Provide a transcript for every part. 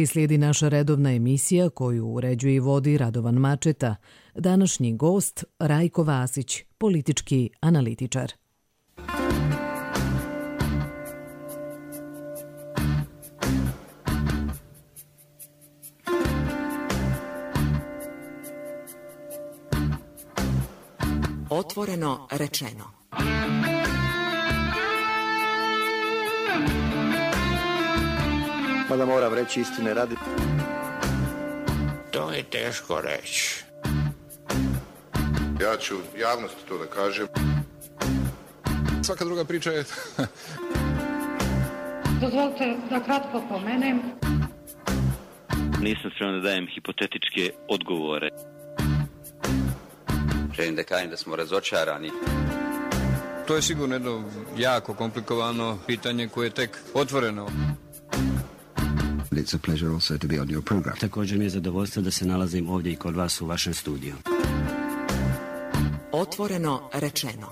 I slijedi naša redovna emisija koju uređuje i vodi Radovan Mačeta. Današnji gost Rajko Vasić, politički analitičar. Otvoreno rečeno. Mada moram reći istine radi. To je teško reći. Ja ću javnosti to da kažem. Svaka druga priča je... Dozvolite da kratko pomenem. Nisam spreman da dajem hipotetičke odgovore. Želim da kažem da smo razočarani. To je sigurno jedno jako komplikovano pitanje koje je tek otvoreno. It's a pleasure also to be on your program. Također mi je zadovoljstvo da se nalazim ovdje i kod vas u vašem studiju. Otvoreno rečeno.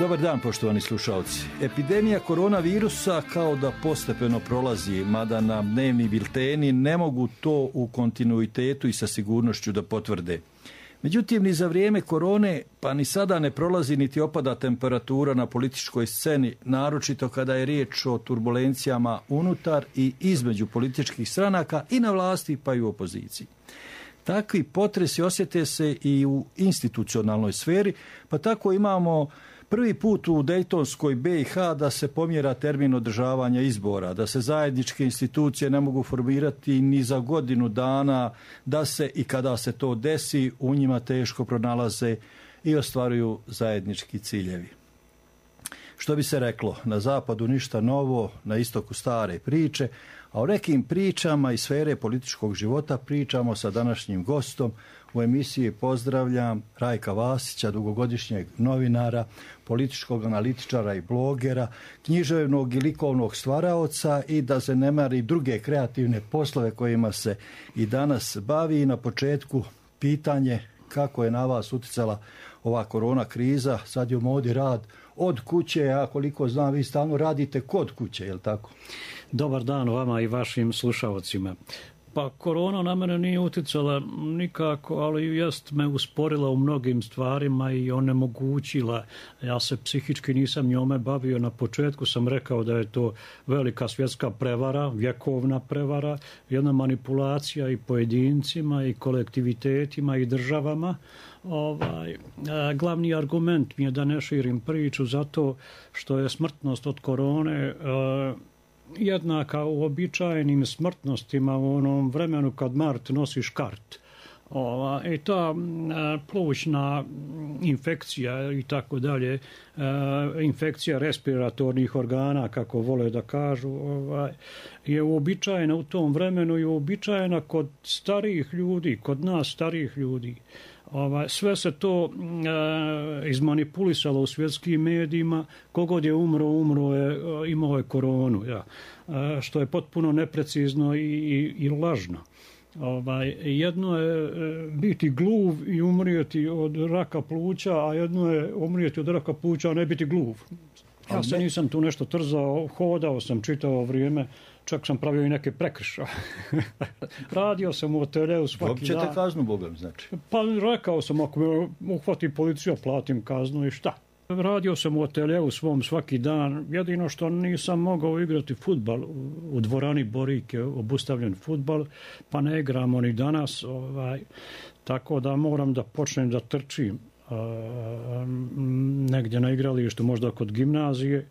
Dobar dan, poštovani slušalci. Epidemija koronavirusa kao da postepeno prolazi, mada nam dnevni bilteni ne mogu to u kontinuitetu i sa sigurnošću da potvrde. Međutim, ni za vrijeme korone, pa ni sada ne prolazi niti opada temperatura na političkoj sceni, naročito kada je riječ o turbulencijama unutar i između političkih stranaka i na vlasti pa i u opoziciji. Takvi potresi osjete se i u institucionalnoj sferi, pa tako imamo prvi put u Dejtonskoj BiH da se pomjera termin održavanja izbora, da se zajedničke institucije ne mogu formirati ni za godinu dana, da se i kada se to desi u njima teško pronalaze i ostvaruju zajednički ciljevi. Što bi se reklo, na zapadu ništa novo, na istoku stare priče, a o nekim pričama iz sfere političkog života pričamo sa današnjim gostom. U emisiji pozdravljam Rajka Vasića, dugogodišnjeg novinara, političkog analitičara i blogera, književnog i likovnog stvaraoca i da zanemari druge kreativne poslove kojima se i danas bavi. I na početku pitanje kako je na vas uticala ova korona kriza. Sad je u modi rad od kuće, a koliko znam vi stalno radite kod kuće, je li tako? Dobar dan vama i vašim slušalcima. Pa korona na mene nije uticala nikako, ali jest me usporila u mnogim stvarima i onemogućila. Ja se psihički nisam njome bavio. Na početku sam rekao da je to velika svjetska prevara, vjekovna prevara, jedna manipulacija i pojedincima i kolektivitetima i državama. Glavni argument mi je da ne širim priču zato što je smrtnost od korone jednaka uobičajenim smrtnostima u onom vremenu kad Mart nosi škart. I ta plućna infekcija i tako dalje, infekcija respiratornih organa, kako vole da kažu, je uobičajena u tom vremenu i uobičajena kod starijih ljudi, kod nas starijih ljudi. Sve se to izmanipulisalo u svjetskim medijima. Kogod je umro je, imao je koronu, što je potpuno neprecizno i lažno. Jedno je biti gluv i umrijeti od raka pluća, a jedno je umrijeti od raka pluća, a ne biti gluv. Ja se nisam tu nešto trzao, hodao sam čitavo vrijeme, čak sam pravio i neke prekršaje. Radio sam u ateljeu svaki dan. Dobit ćete kaznu, Bogom, znači? Pa rekao sam, ako me uhvati policija, platim kaznu i šta? Radio sam u ateljeu svom svaki dan, jedino što nisam mogao igrati fudbal u dvorani Borik je obustavljen fudbal, pa ne igramo ni danas, tako da moram da počnem da trčim negdje na igralištu, možda kod gimnazije,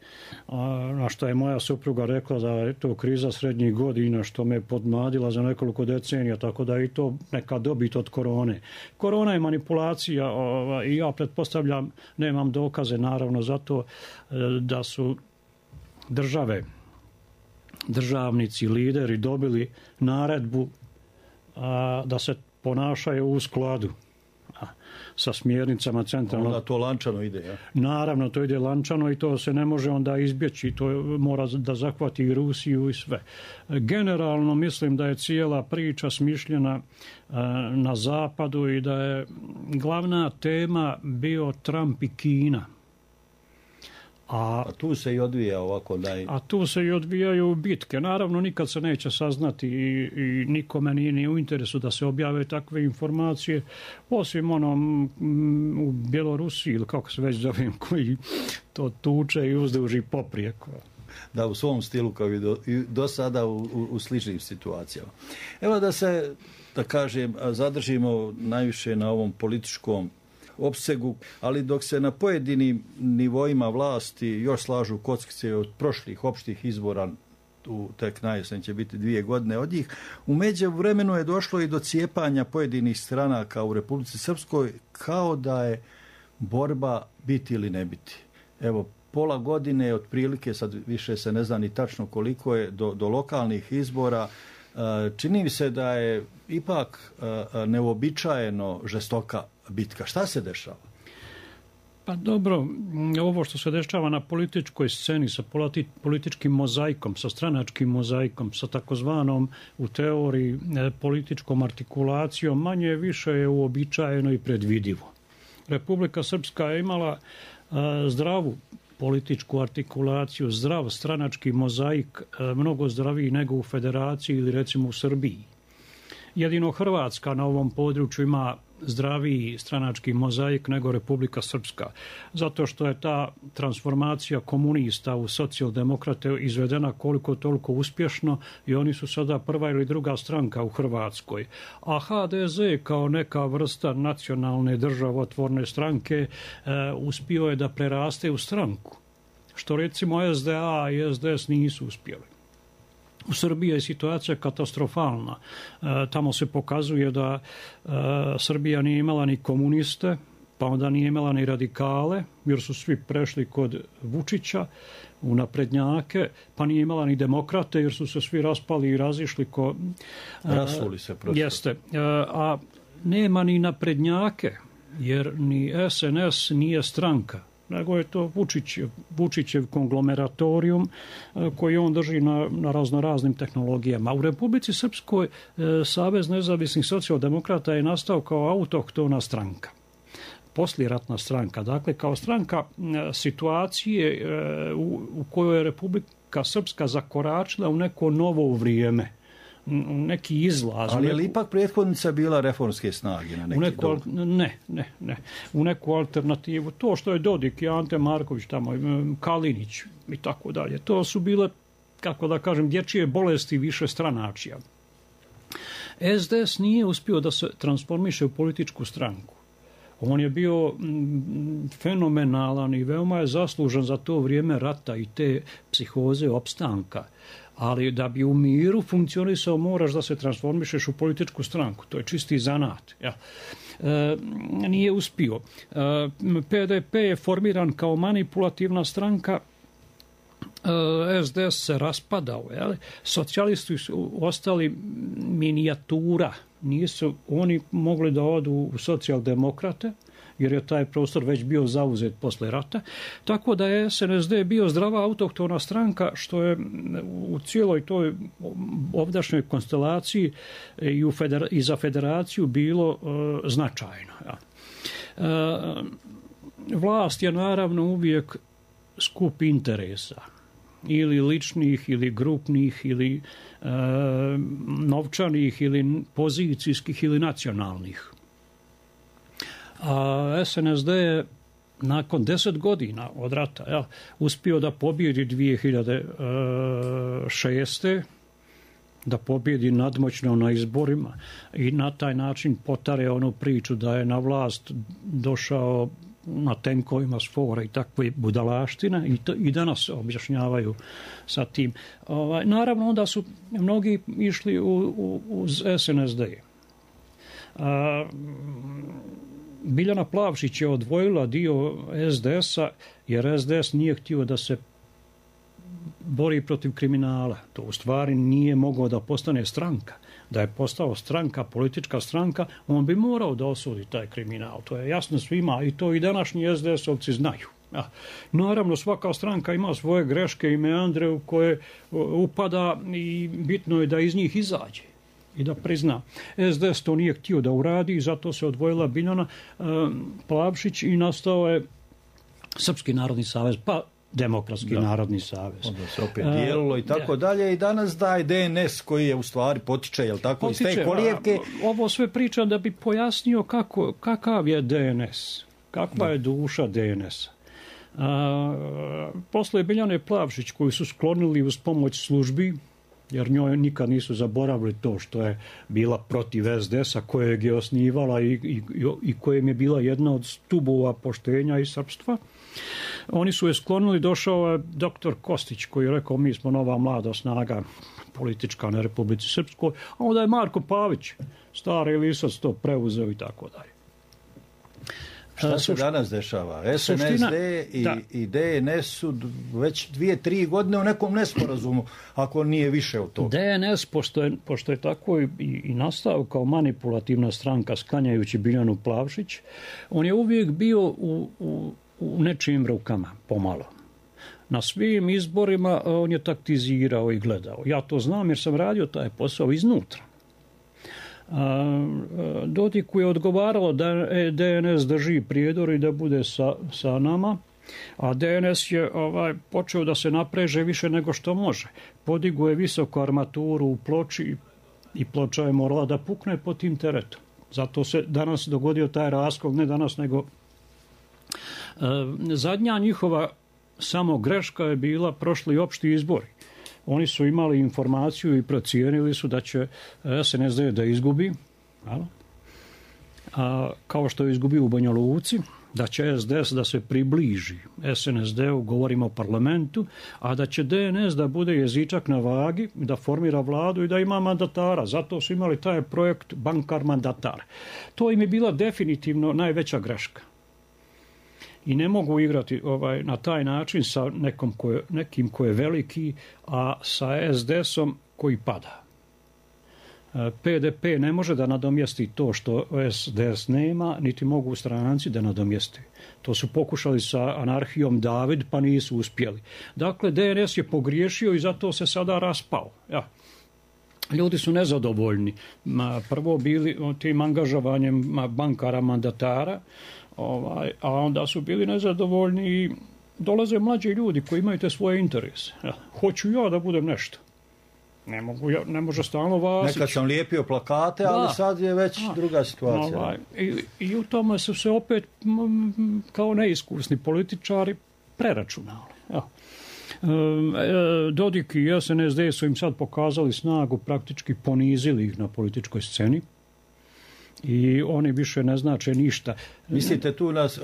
na što je moja supruga rekla da je to kriza srednjih godina, što me podmladila za nekoliko decenija, tako da je i to neka dobit od korone. Korona je manipulacija i ja pretpostavljam, nemam dokaze naravno zato da su državnici, lideri dobili naredbu da se ponašaju u skladu. sa smjernicama centralnog. Onda to lančano ide, ja? Naravno, to ide lančano i to se ne može onda izbjeći. To mora da zahvati i Rusiju i sve. Generalno mislim da je cijela priča smišljena na zapadu i da je glavna tema bio Trump i Kina. A tu se i odvija ovako A tu se i odvijaju bitke. Naravno, nikad se neće saznati i nikome nije ni u interesu da se objave takve informacije, osim onom u Bjelorusiji, ili kako se već zovem, koji to tuče i uzduži poprijeko. Da, u svom stilu kao i do sada u sličnim situacijama. Evo da kažem, zadržimo najviše na ovom političkom opsegu, ali dok se na pojedinim nivoima vlasti još slažu kockice od prošlih opštih izbora, tek najesen će biti 2 godine od njih, u međuvremenu je došlo i do cijepanja pojedinih stranaka u Republici Srpskoj, kao da je borba biti ili ne biti. Evo, pola godine otprilike, sad više se ne zna ni tačno koliko je, do lokalnih izbora. Čini mi se da je ipak neuobičajeno žestoka bitka. Šta se dešava? Pa dobro, ovo što se dešava na političkoj sceni sa političkim mozaikom, sa stranačkim mozaikom, sa takozvanom u teoriji političkom artikulacijom, manje više je uobičajeno i predvidivo. Republika Srpska je imala zdravu političku artikulaciju, zdrav stranački mozaik, mnogo zdraviji nego u Federaciji ili recimo u Srbiji. Jedino Hrvatska na ovom području ima zdraviji stranački mozaik nego Republika Srpska, zato što je ta transformacija komunista u socijaldemokrate izvedena koliko toliko uspješno i oni su sada prva ili druga stranka u Hrvatskoj. A HDZ kao neka vrsta nacionalne državotvorne stranke uspio je da preraste u stranku, što recimo SDA i SDS nisu uspjeli. U Srbiji je situacija katastrofalna. Tamo se pokazuje da Srbija nije imala ni komuniste, pa onda nije imala ni radikale, jer su svi prešli kod Vučića u naprednjake, pa nije imala ni demokrate, jer su se svi raspali i razišli rasuli se prosto. Jeste. A nema ni naprednjake, jer ni SNS nije stranka, nego je to Vučićev konglomeratorium koji on drži na raznoraznim tehnologijama. U Republici Srpskoj Savez nezavisnih socijaldemokrata je nastao kao autohtona stranka, poslijeratna stranka, dakle kao stranka situacije u kojoj je Republika Srpska zakoračila u neko novo vrijeme, neki izlaz. Ali je li ipak prethodnica bila reformske snage na neki Ne. U neku alternativu. To što je Dodik i Ante Marković tamo, Kalinić i tako dalje. To su bile, kako da kažem, dječje bolesti više stranačija. SDS nije uspio da se transformiše u političku stranku. On je bio fenomenalan i veoma je zaslužan za to vrijeme rata i te psihoze opstanka. Ali da bi u miru funkcionisao moraš da se transformišeš u političku stranku. To je čisti zanat. Ja. Nije uspio. PDP je formiran kao manipulativna stranka, SDS se raspadao. Socijalisti su ostali minijatura. Nisu oni mogli da odu u socijaldemokrate, jer je taj prostor već bio zauzet posle rata. Tako da je SNSD bio zdrava autohtona stranka, što je u cijeloj toj ovdašnjoj konstelaciji i za federaciju bilo značajno. Ja. Vlast je naravno uvijek skup interesa, ili ličnih, ili grupnih, ili novčanih, ili pozicijskih, ili nacionalnih. A SNSD je nakon 10 godina od rata uspio da pobjedi 2006. da pobjedi nadmoćno na izborima i na taj način potare onu priču da je na vlast došao na tenkovima s fora i takve budalaštine i danas objašnjavaju sa tim. Naravno, onda su mnogi išli uz SNSD. Biljana Plavšić je odvojila dio SDS-a jer SDS nije htio da se bori protiv kriminala. To u stvari nije mogao da postane stranka. da je postao stranka, politička stranka, on bi morao da osudi taj kriminal. To je jasno svima i to i današnji SDS-ovci znaju. Ja. Naravno, svaka stranka ima svoje greške i meandre u koje upada i bitno je da iz njih izađe i da prizna. SDS to nije htio da uradi i zato se odvojila Biljana Plavšić i nastao je Srpski narodni savez, pa Demokratski narodni savez. Onda se opet dijelilo i tako dalje i danas daje DNS koji je u stvari potiče, jel tako, iz te kolijevke. Ovo sve pričam da bi pojasnio kakav je DNS, kakva je duša DNS-a. Posle Biljane Plavšić koju su sklonili uz pomoć službi, jer njoj nikad nisu zaboravili to što je bila protiv SDS-a kojeg je osnivala i kojem je bila jedna od stubova poštenja i srpstva. Oni su je sklonili, došao je doktor Kostić koji je rekao mi smo nova mlada snaga politička na Republici Srpskoj, a onda je Marko Pavić, stari lisac, to preuzeo i tako dalje. Šta se danas dešava? SNSD i DNS su već 2-3 godine u nekom nesporazumu, ako nije više od toga. DNS, pošto je tako i nastao kao manipulativna stranka sklanjajući Biljanu Plavšić, on je uvijek bio u nečijim rukama, pomalo. Na svim izborima on je taktizirao i gledao. Ja to znam jer sam radio taj posao iznutra. Dodiku je odgovaralo da DNS drži Prijedor i da bude sa nama, a DNS je počeo da se napreže više nego što može. Podigao je visoku armaturu u Ploči i Ploča je morala da pukne pod tim teretom. Zato se danas dogodio taj raskol, ne danas nego zadnja njihova samo greška je bila prošli opšti izbori. Oni su imali informaciju i procijenili su da će SNSD da izgubi, kao što je izgubio u Banja Luci, da će SDS da se približi SNSD-u, govorimo o parlamentu, a da će DNS da bude jezičak na vagi, da formira vladu i da ima mandatara. Zato su imali taj projekt bankar mandatar. To im je bila definitivno najveća greška. I ne mogu igrati na taj način sa nekim ko je veliki, a sa SDS-om koji pada. PDP ne može da nadomjesti to što SDS nema, niti mogu stranci da nadomjesti. To su pokušali sa anarhijom David, pa nisu uspjeli. Dakle, DNS je pogriješio i zato se sada raspao. Ja. Ljudi su nezadovoljni. Prvo bili tim angažovanjem bankara mandatara, a onda su bili nezadovoljni i dolaze mlađi ljudi koji imaju te svoje interese. Ja, hoću ja da budem nešto. Ne može stalno Vasić. Nekad sam lijepio plakate, ali sad je već druga situacija. I u tome su se opet kao neiskusni političari preračunali. Ja. Dodik i SNSD su im sad pokazali snagu, praktički ponizili ih na političkoj sceni. I oni više ne znače ništa. Mislite tu nas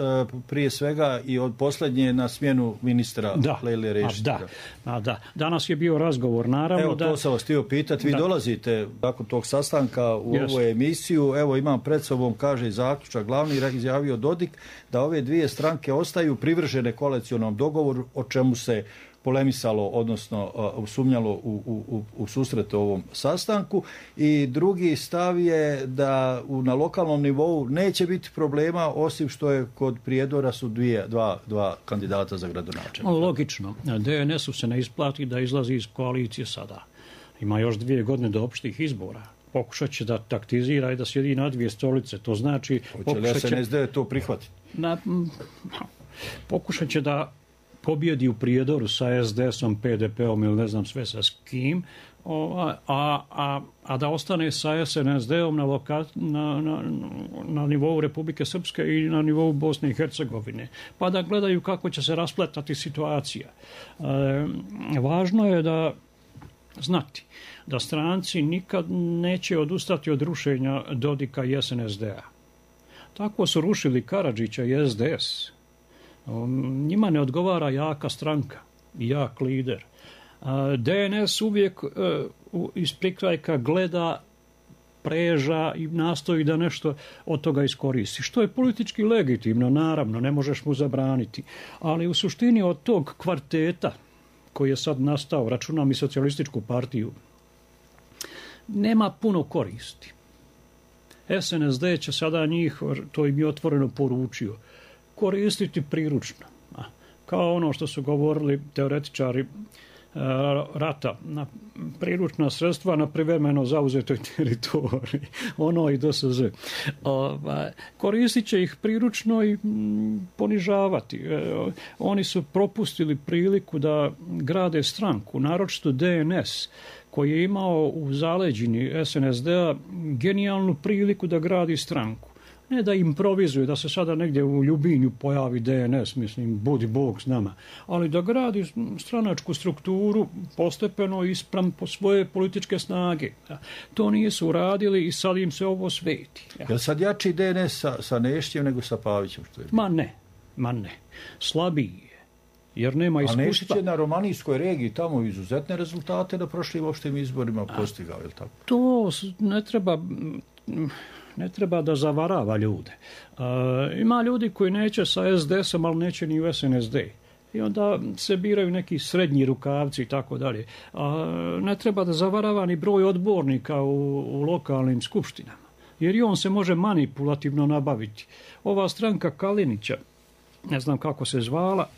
prije svega i od posljednje na smjenu ministra Lejle Rešića? Da. Danas je bio razgovor, naravno. Evo, to sam vas htio pitati. Vi dolazite nakon tog sastanka u ovu emisiju. Evo, imam pred sobom, kaže zaključak, glavni izjavio Dodik da ove dvije stranke ostaju privržene koalicionom dogovoru, o čemu se polemisalo, odnosno sumnjalo u susret ovom sastanku. I drugi stav je da na lokalnom nivou neće biti problema, osim što je kod Prijedora su dva kandidata za gradonačelnika. Logično. DNS-u se ne isplati da izlazi iz koalicije sada. Ima još 2 godine do opštih izbora. Pokušat će da taktizira i da sjedi na 2 stolice. To znači... Hoće li SNSD to prihvatiti? Pokušat će da pobjedi u Prijedoru sa SDS-om, PDP-om ili ne znam sve sa kim, a da ostane sa SNSD-om na nivou Republike Srpske i na nivou Bosne i Hercegovine. Pa da gledaju kako će se raspletati situacija. Važno je da znati da stranci nikad neće odustati od rušenja Dodika i SNSD-a. Tako su rušili Karadžića i SDS. Njima ne odgovara jaka stranka i jak lider. DNS uvijek iz prikrajka gleda, preža i nastoji da nešto od toga iskoristi. Što je politički legitimno, naravno, ne možeš mu zabraniti. Ali u suštini od tog kvarteta koji je sad nastao, računam i socijalističku partiju, nema puno koristi. SNSD će sada njih, to im je otvoreno poručio, koristiti priručno. Kao ono što su govorili teoretičari rata, na priručna sredstva na privremeno zauzetoj teritoriji, ono i DSZ. Koristit će ih priručno i ponižavati. Oni su propustili priliku da grade stranku, naročito DNS, koji je imao u zaleđini SNSD-a genijalnu priliku da gradi stranku. Ne da improvizuje, da se sada negdje u Ljubinju pojavi DNS, mislim, budi Bog s nama, ali da gradi stranačku strukturu postepeno ispram po svoje političke snage. To nisu uradili i sad im se ovo sveti. Je li sad jači DNS sa Neštićem nego sa Pavićem? Što je? Ma ne. Slabiji je. Jer nema iskustva. A Neštić je na romanijskoj regiji tamo izuzetne rezultate na prošlim opštim izborima postigao, je li tako? To ne treba da zavarava ljude. Ima ljudi koji neće sa SDS-om, ali neće ni u SNSD. I onda se biraju neki srednji rukavci i tako dalje. Ne treba da zavarava ni broj odbornika u lokalnim skupštinama. Jer i on se može manipulativno nabaviti. Ova stranka Kalinića, ne znam kako se zvala,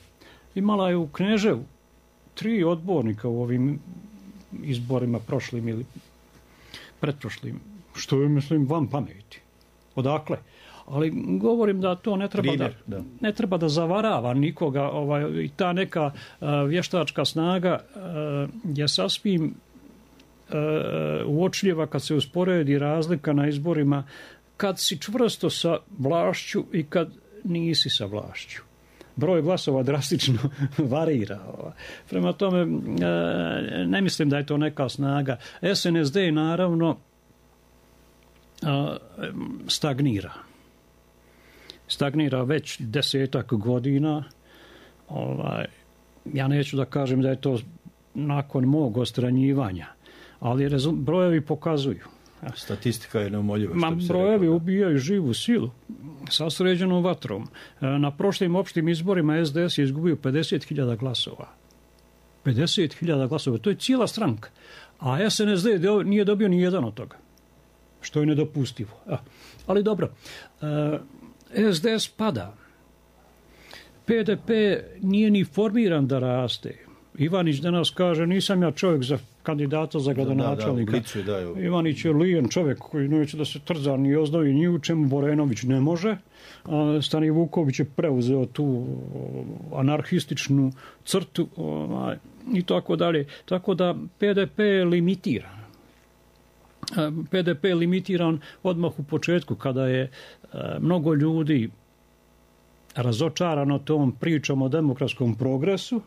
imala je u Kneževu 3 odbornika u ovim izborima prošlim ili pretprošlim. Što je, mislim, van pameti. Odakle? Ali govorim da to ne treba da zavarava nikoga. I ta neka vještačka snaga je sasvim uočljiva kad se usporedi razlika na izborima, kad si čvrsto sa vlašću i kad nisi sa vlašću. Broj glasova drastično varira. Prema tome, ne mislim da je to neka snaga. SNSD naravno stagnira već 10 godina. Ja neću da kažem da je to nakon mog odstranjivanja, ali brojevi pokazuju. Statistika je neumoljiva. Brojevi ubijaju živu silu sa sređenom vatrom. Na prošlim opštim izborima SDS je izgubio 50.000 glasova. 50.000 glasova. To je cijela stranka. A SNSD nije dobio ni jedan od toga. Što je nedopustivo. Ali dobro, SDS pada. PDP nije ni formiran da raste. Ivanić danas kaže, nisam ja čovjek za kandidata za gradonačelnika. Ivanić je lijen čovjek koji neće da se trza ni oznovi ni u čemu. Borenović ne može. Stani Vuković je preuzeo tu anarhističnu crtu i tako dalje. Tako da PDP je limitiran. PDP je limitiran odmah u početku kada je mnogo ljudi razočarano tom pričom o demokratskom progresu,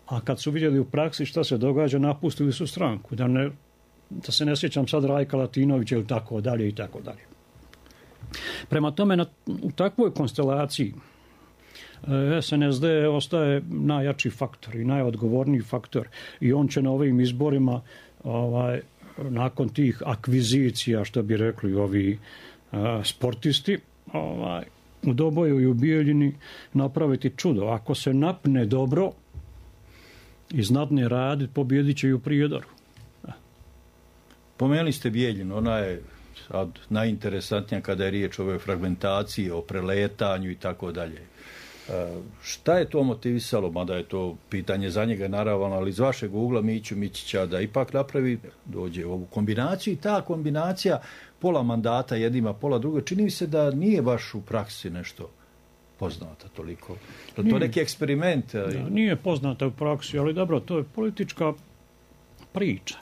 a kad su vidjeli u praksi šta se događa, napustili su stranku. Da se ne sjećam sad Rajka Latinovića ili tako dalje i tako dalje. Prema tome, u takvoj konstelaciji SNSD ostaje najjači faktor i najodgovorniji faktor i on će na ovim izborima nakon tih akvizicija, što bi rekli ovi sportisti, u Doboju i u Bijeljini napraviti čudo. Ako se napne dobro i znatne radi, pobjedit će i u Prijedoru. Pomenuli ste Bijeljinu, ona je sad najinteresantnija kada je riječ o ovoj fragmentaciji, o preletanju i tako dalje. Šta je to motivisalo, mada je to pitanje za njega naravno, ali iz vašeg ugla Miću Mićića da ipak napravi, dođe u ovu kombinaciju i ta kombinacija pola mandata jednima, pola druga, čini mi se da nije baš u praksi nešto poznata toliko. Je to neki eksperiment? Nije poznata u praksi, ali dobro, to je politička priča.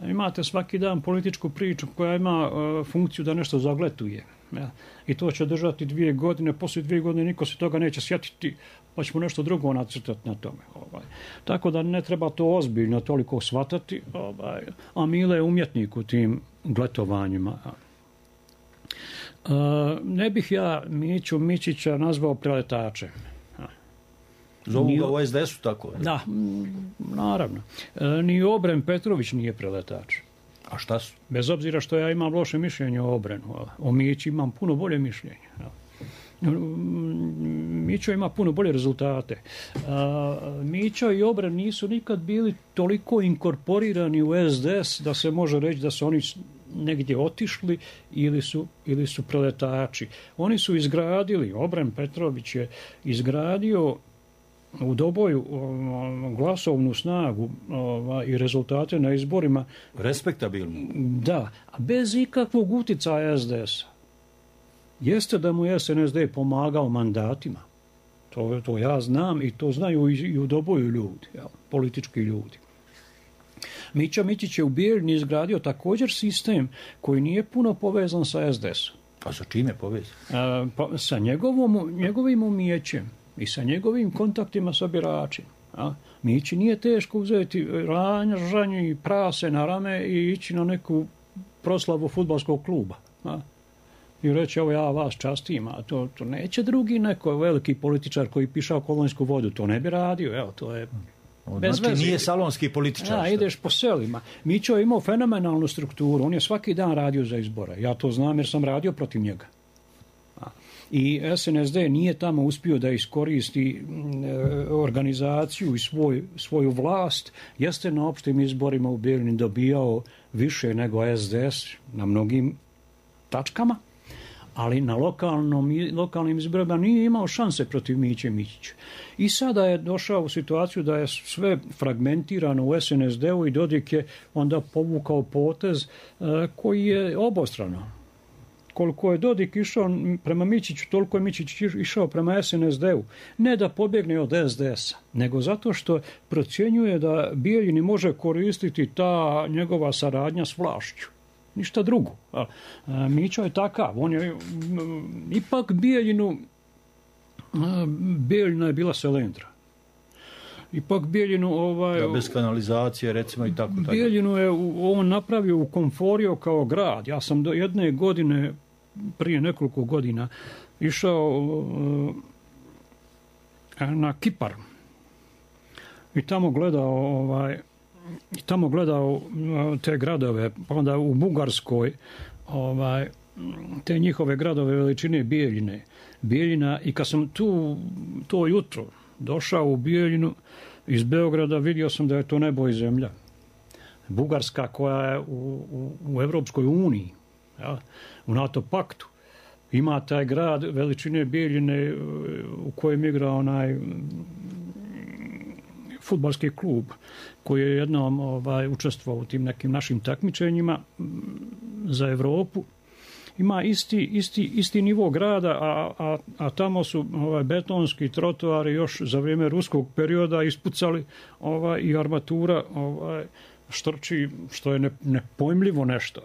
Imate svaki dan političku priču koja ima funkciju da nešto zagletuje. Ja. I to će držati 2 godine, poslije 2 godine niko se toga neće sjetiti, pa ćemo nešto drugo nacrtati na tome. Tako da ne treba to ozbiljno toliko shvatati, a Mile je umjetnik u tim gletovanjima. Ne bih ja Miću Mićića nazvao preletačem. Zovu ga u SDS-u tako? Da, naravno. Ni Obren Petrović nije preletač. A šta su? Bez obzira što ja imam loše mišljenje o Obrenu. O Mići imam puno bolje mišljenje. Mićo ima puno bolje rezultate. Mićo i Obren nisu nikad bili toliko inkorporirani u SDS da se može reći da su oni negdje otišli ili su preletači. Oni su izgradili, Obren Petrović je izgradio u Doboju glasovnu snagu i rezultate na izborima. Respektabilno. Da, bez ikakvog utjecaja SDS-a. Jeste da mu je SNSD pomagao mandatima. To ja znam i to znaju i u Doboju ljudi, politički ljudi. Mića Mićić je u Bijeljini izgradio također sistem koji nije puno povezan sa SDS-om. Pa sa čime povezan? Sa njegovim umijećem i sa njegovim kontaktima sa biračima. Mići nije teško uzeti ranžanje i prase na rame i ići na neku proslavu fudbalskog kluba. I reći, evo ja vas častim, a to neće drugi neko veliki političar koji pišao kolonjsku vodu, to ne bi radio, evo, to je bez znači veze. Nije salonski političar. Ideš po selima. Mićo je imao fenomenalnu strukturu, on je svaki dan radio za izbore, ja to znam jer sam radio protiv njega. I SNSD nije tamo uspio da iskoristi organizaciju i svoju vlast, jeste na opštim izborima u Bijeljini dobijao više nego SDS na mnogim tačkama, ali na lokalnim izborima nije imao šanse protiv Miće Mićića. I sada je došao u situaciju da je sve fragmentirano u SNSD-u i Dodik je onda povukao potez koji je obostrano. Koliko je Dodik išao prema Mićiću, toliko je Mićić išao prema SNSD-u. Ne da pobjegne od SDS-a, nego zato što procjenjuje da Bijeljini može koristiti ta njegova saradnja s vlašću. Ništa drugo. Mićo je takav. On je ipak Bijeljina je bila selendra. Ipak Bijeljinu... bez kanalizacije, recimo, i tako. Bijeljinu je on napravio u Komforio kao grad. Ja sam do jedne godine, prije nekoliko godina, išao na Kipar. I tamo gledao te gradove, pa onda u Bugarskoj te njihove gradove veličine Bijeljina, i kad sam to jutro došao u Bijeljinu iz Beograda, vidio sam da je to nebo i zemlja. Bugarska koja je u Evropskoj uniji, u NATO paktu, ima taj grad veličine Bijeljine u kojem igra onaj fudbalski klub koji je jednom učestvovao u tim nekim našim takmičenjima za Europu. Ima isti nivo grada, a tamo su betonski trotoari još za vrijeme ruskog perioda ispucali i armatura štrči, što je nepojmljivo nešto.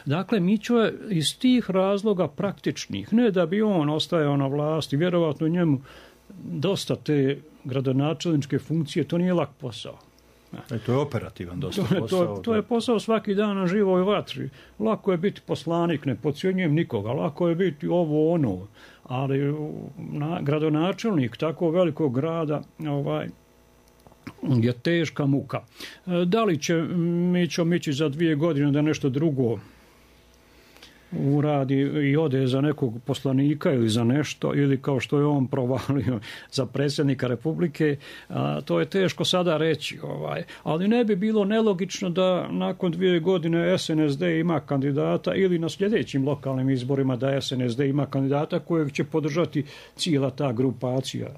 Dakle, Mićo je iz tih razloga praktičnih, ne da bi on ostajao na vlasti, vjerovatno njemu dosta te gradonačelničke funkcije, to nije lak posao. To je operativan dosta posao. To je posao svaki dan na živoj vatri. Lako je biti poslanik, ne podcjenjujem nikoga, lako je biti ovo ono, ali gradonačelnik tako velikog grada je teška muka. Da li će Mićo Mićić za 2 godine da nešto drugo uradi i ode za nekog poslanika ili za nešto, ili kao što je on provalio za predsjednika Republike, to je teško sada reći. Ali ne bi bilo nelogično da nakon 2 godine SNSD ima kandidata, ili na sljedećim lokalnim izborima da SNSD ima kandidata kojeg će podržati cijela ta grupacija.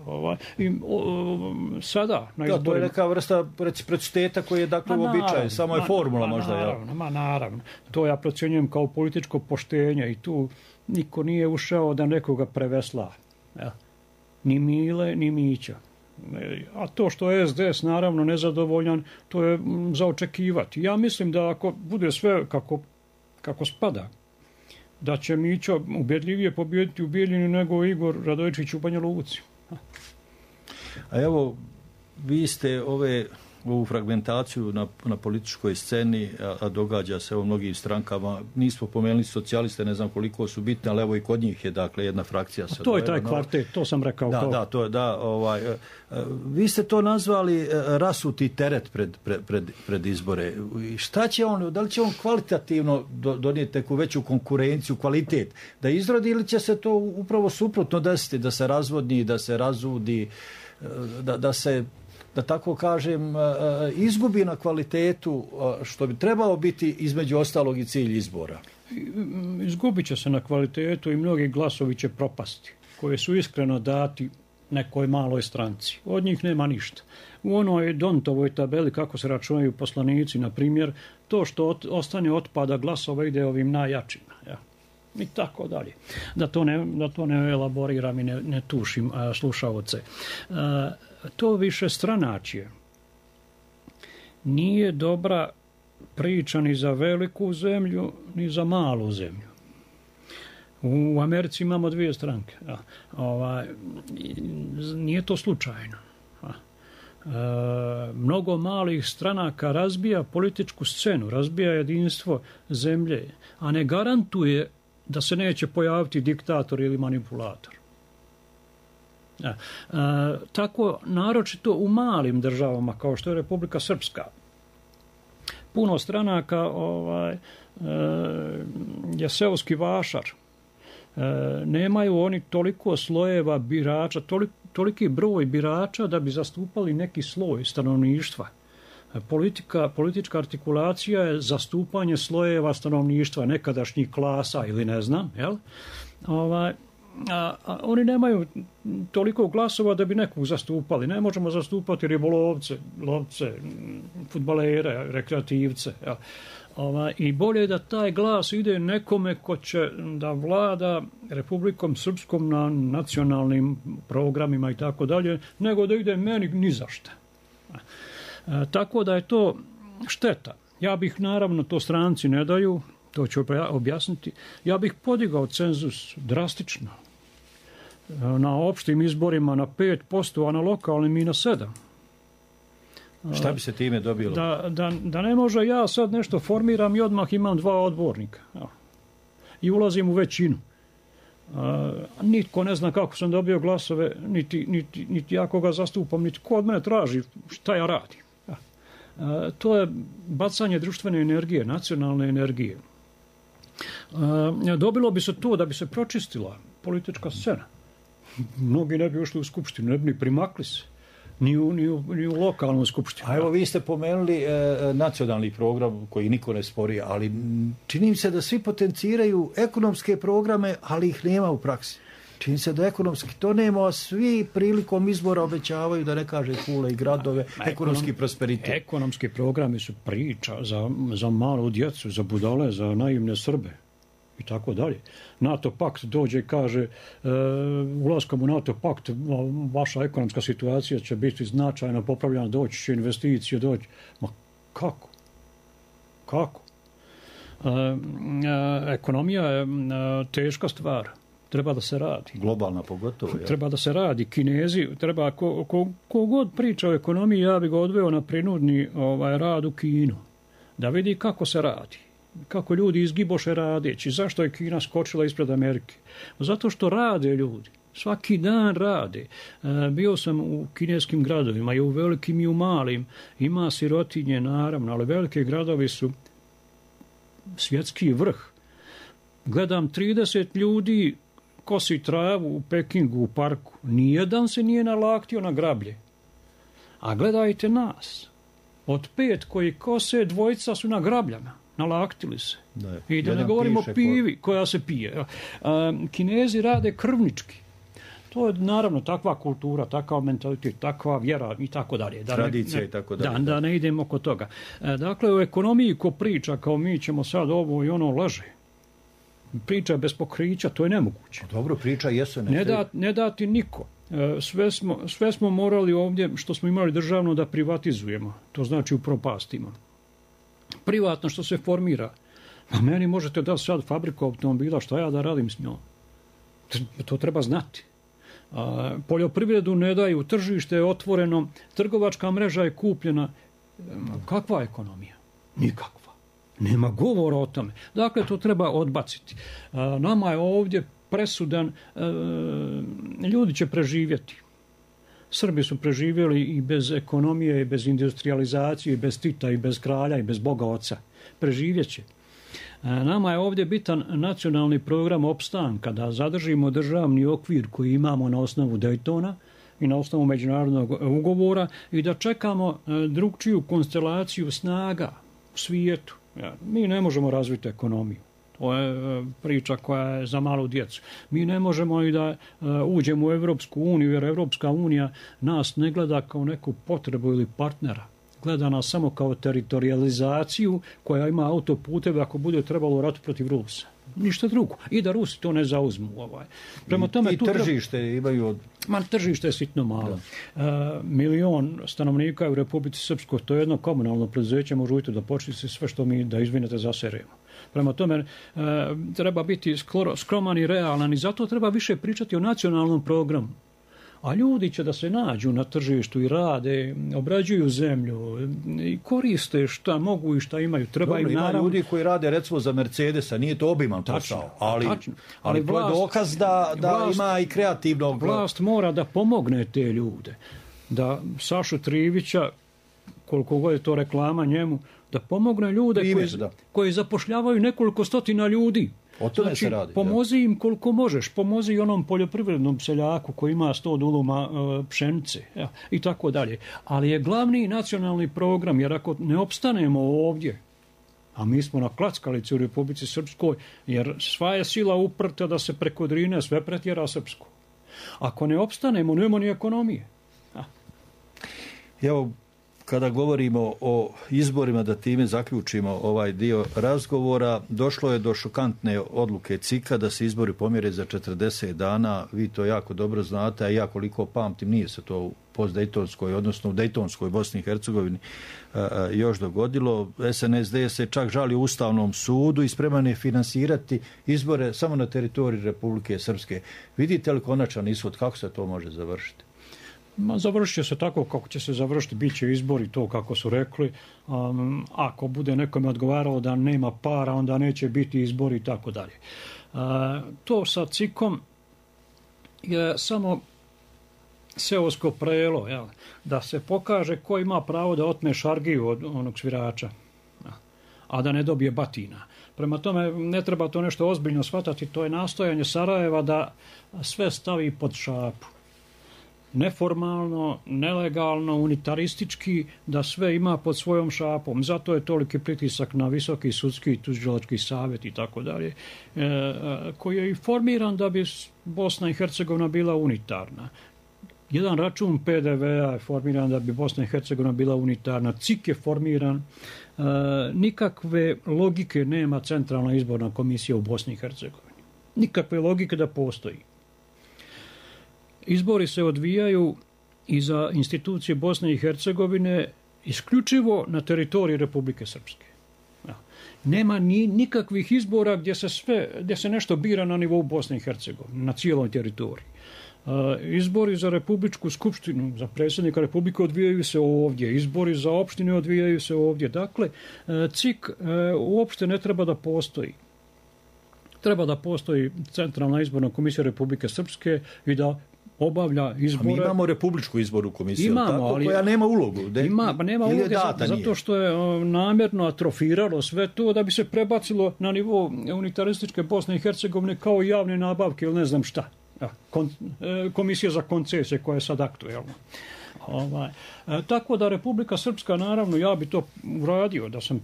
Sada na izborima... To je neka vrsta reciprociteta koji je dakle uobičajen, samo je formula možda. Naravno. To ja procjenjujem kao političko poštenje i tu niko nije ušao da nekoga prevesla. Ni Mile, ni Mića. A to što je SDS naravno nezadovoljan, to je za očekivati. Ja mislim da ako bude sve kako spada, da će Mićo ubjedljivije pobijediti u Bijeljini nego Igor Radojičić u Banja Luci. A evo, vi ste ove ovu fragmentaciju na političkoj sceni, a događa se u mnogim strankama. Nismo pomenuli socijaliste, ne znam koliko su bitne, ali evo i kod njih je dakle jedna frakcija. To je taj kvartet, to sam rekao. Vi ste to nazvali rasuti teret pred izbore. Šta će on, da li će on kvalitativno donijeti neku veću konkurenciju, kvalitet da izrodi, ili će se to upravo suprotno desiti, da se razvodni, da se razudi, da se, da tako kažem, izgubi na kvalitetu, što bi trebalo biti između ostalog i cilj izbora? Izgubit će se na kvalitetu i mnogi glasovi će propasti, koje su iskreno dati nekoj maloj stranci. Od njih nema ništa. U onoj Dontovoj tabeli kako se računaju poslanici, na primjer, to što ostane otpada glasova ide ovim najjačima. Ja. I tako dalje. Da to ne elaboriram i ne tušim slušaoce. To više stranačje nije dobra priča ni za veliku zemlju, ni za malu zemlju. U Americi imamo dvije stranke. Nije to slučajno. Mnogo malih stranaka razbija političku scenu, razbija jedinstvo zemlje, a ne garantuje da se neće pojaviti diktator ili manipulator. Tako, naročito u malim državama, kao što je Republika Srpska, puno stranaka je seoski vašar. Nemaju oni toliko slojeva birača, toliki broj birača da bi zastupali neki sloj stanovništva. Politička artikulacija je zastupanje slojeva stanovništva, nekadašnjih klasa ili ne znam, jel? Oni nemaju toliko glasova da bi nekog zastupali. Ne možemo zastupati ribolovce, lovce, fudbalere, rekreativce. Jel? I bolje je da taj glas ide nekome ko će da vlada Republikom Srpskom na nacionalnim programima i tako dalje, nego da ide meni ni za šta. Tako da je to šteta. Ja bih, naravno, to stranci ne daju, to ću objasniti, ja bih podigao cenzus drastično. Na opštim izborima na 5%, a na lokalnim i na 7%. Šta bi se time dobilo? Da ne može ja sad nešto formiram i odmah imam 2 odbornika. I ulazim u većinu. Nitko ne zna kako sam dobio glasove, niti ja koga zastupam, niti ko od mene traži šta ja radim. To je bacanje društvene energije, nacionalne energije. Dobilo bi se to da bi se pročistila politička scena. Mnogi ne bi ušli u skupštinu, ne bi ni primakli se. Ni u lokalnu skupštinu. A evo, vi ste pomenuli nacionalni program koji niko ne spori, ali čini mi se da svi potenciraju ekonomske programe, ali ih nema u praksi. Čini se da ekonomski to nema, a svi prilikom izbora obećavaju, da ne kaže kule i gradove, ekonomski prosperitet. Ekonomski programi su priča za malu djecu, za budale, za naivne Srbe i tako dalje. NATO pakt dođe i kaže ulaskom u NATO pakt vaša ekonomska situacija će biti značajno popravljena, doći će investicije, doći. Ma kako? Kako? Ekonomija je teška stvar. Treba da se radi. Globalna pogotovo. Ja. Treba da se radi. Kinezi, treba, ko god priča o ekonomiji, ja bi ga odveo na prinudni rad u Kinu. Da vidi kako se radi. Kako ljudi izgiboše radeći. Zašto je Kina skočila ispred Amerike? Zato što rade ljudi. Svaki dan rade. Bio sam u kineskim gradovima, i u velikim i u malim. Ima sirotinje, naravno, ali velike gradovi su svjetski vrh. Gledam 30 ljudi kosi travu u Pekingu, u parku. Nijedan se nije nalaktio na grablje. A gledajte nas. Od 5 koji kose, 2 su na grabljama. Nalaktili se. I da ne govorimo o pivi koja se pije. Kinezi rade krvnički. To je naravno takva kultura, takav mentalitet, takva vjera i tako dalje. Tradicija i tako dalje. Da ne idemo oko toga. Dakle, u ekonomiji ko priča kao mi ćemo sad ovo i ono, laže. Priča bez pokrića, to je nemoguće. Dobro, priča jesu. Ne dati niko. Sve smo morali ovdje, što smo imali državno, da privatizujemo. To znači upropastimo. Privatno što se formira. A meni možete dati sad fabriku automobila, šta ja da radim s njom? To treba znati. Poljoprivredu ne daju, tržište je otvoreno, trgovačka mreža je kupljena. kakva ekonomija? Nikakva. Nema govora o tome. Dakle, to treba odbaciti. Nama je ovdje presudan, ljudi će preživjeti. Srbi su preživjeli i bez ekonomije, i bez industrializacije, i bez Tita, i bez kralja, i bez Boga Oca. Preživjet će. Nama je ovdje bitan nacionalni program opstanka, da zadržimo državni okvir koji imamo na osnovu Daytona i na osnovu međunarodnog ugovora i da čekamo drugčiju konstelaciju snaga u svijetu. Mi ne možemo razviti ekonomiju. To je priča koja je za malu djecu. Mi ne možemo i da uđemo u Europsku uniju, jer Europska unija nas ne gleda kao neku potrebu ili partnera. Gleda nas samo kao teritorializaciju koja ima autoputeve ako bude trebalo ratu protiv Rusa. Ništa drugo. I da Rusi to ne zauzmu. Prema tome, i tržište imaju... Tržište je sitno malo. 1 milion stanovnika u Republici Srpskoj, to je jedno komunalno preduzeće, može ujutro da počne se sve što mi, da izvinete, zaseremo. Prema tome, treba biti skroman i realan i zato treba više pričati o nacionalnom programu. A ljudi će da se nađu na tržištu i rade, obrađuju zemlju i koriste šta mogu i šta imaju. Treba im ima ljudi koji rade recimo za Mercedesa, nije to obiman posao, ali to je dokaz da ima i kreativnog... Vlast mora da pomogne te ljude. Da Sašu Trivića, koliko god je to reklama njemu, da pomogne ljude koji zapošljavaju nekoliko stotina ljudi. O tome se radi. Pomozi im koliko možeš, pomozi i onom poljoprivrednom seljaku koji ima 100 duluma pšenice i tako dalje. Ali je glavni nacionalni program, jer ako ne opstanemo ovdje, a mi smo na klackalici u Republici Srpskoj, jer sva je sila uprta da se preko Drine sve pretjera srpsko. Ako ne opstanemo, nema ni ekonomije. Evo, kada govorimo o izborima, da time zaključimo ovaj dio razgovora, došlo je do šokantne odluke CIK-a da se izbori pomjere za 40 dana. Vi to jako dobro znate, a ja koliko pamtim nije se to u postdejtonskoj, odnosno u dejtonskoj Bosni i Hercegovini još dogodilo. SNSD se čak žali Ustavnom sudu i spreman je finansirati izbore samo na teritoriji Republike Srpske. Vidite li konačan ishod, kako se to može završiti? Završit će se tako kako će se završiti, bit će izbori, to kako su rekli. Ako bude nekome odgovaralo da nema para, onda neće biti izbori i tako dalje. To sa CIK-om je samo seosko prelo, da se pokaže ko ima pravo da otme šargiju od onog svirača, a da ne dobije batina. Prema tome, ne treba to nešto ozbiljno shvatati, to je nastojanje Sarajeva da sve stavi pod šapu. Neformalno, nelegalno, unitaristički, da sve ima pod svojom šapom. Zato je toliki pritisak na Visoki sudski i tužilački savjet i tako dalje, koji je i formiran da bi Bosna i Hercegovina bila unitarna. Jedan račun PDV-a je formiran da bi Bosna i Hercegovina bila unitarna. CIK je formiran. Nikakve logike nema Centralna izborna komisija u Bosni i Hercegovini. Nikakve logike da postoji. Izbori se odvijaju i za institucije Bosne i Hercegovine isključivo na teritoriji Republike Srpske. Nema nikakvih izbora gdje se nešto bira na nivou Bosne i Hercegovine, na cijeloj teritoriji. Izbori za Republičku skupštinu, za predsjednika Republike odvijaju se ovdje, izbori za opštine odvijaju se ovdje. Dakle, CIK uopšte ne treba da postoji. Treba da postoji Centralna izborna komisija Republike Srpske i da obavlja izbore. A mi imamo Republičku izbornu komisiju, ali koja nema ulogu. Nema uloge zato što je namjerno atrofiralo sve to da bi se prebacilo na nivo unitarističke Bosne i Hercegovine kao javne nabavke ili ne znam šta. Komisija za koncesije koja je sad aktuelna. Tako da Republika Srpska, naravno, ja bi to uradio da sam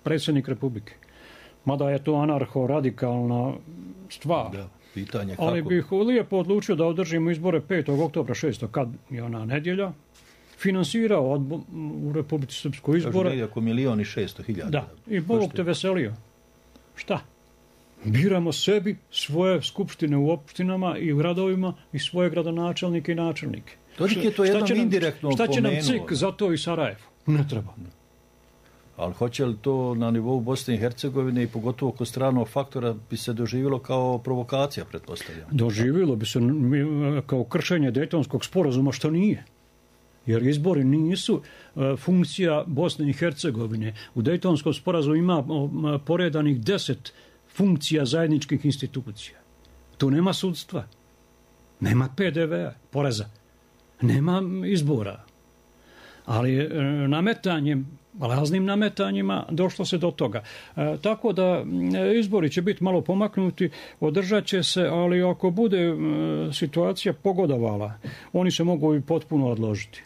predsjednik Republike. Mada je to anarho-radikalna stvar. Da, pitanje kako. Ali bih lijepo odlučio da održimo izbore 5. oktobra 6. kad je ona nedjelja. Finansirao u Republici Srpskoj izbore. Kažu oko 1.600.000. Da, i Bog te veselio. Šta? Biramo sebi svoje skupštine u opštinama i u gradovima i svoje gradonačelnike i načelnike. Toliko je to jednom indirektno pomenuo. Šta će nam CIK za to i Sarajevo? Ne treba. Ali hoće li to na nivou Bosne i Hercegovine i pogotovo kod stranog faktora bi se doživjelo kao provokacija, pretpostavljam? Doživjelo bi se kao kršenje Dejtonskog sporazuma, što nije. jer izbori nisu funkcija Bosne i Hercegovine. U Dejtonskom sporazumu ima poredanih 10 funkcija zajedničkih institucija. Tu nema sudstva, nema PDV-a, poreza, nema izbora. Ali nametanjem, raznim nametanjima došlo se do toga. Tako da izbori će biti malo pomaknuti, održat će se, ali ako bude situacija pogodovala, oni se mogu i potpuno odložiti.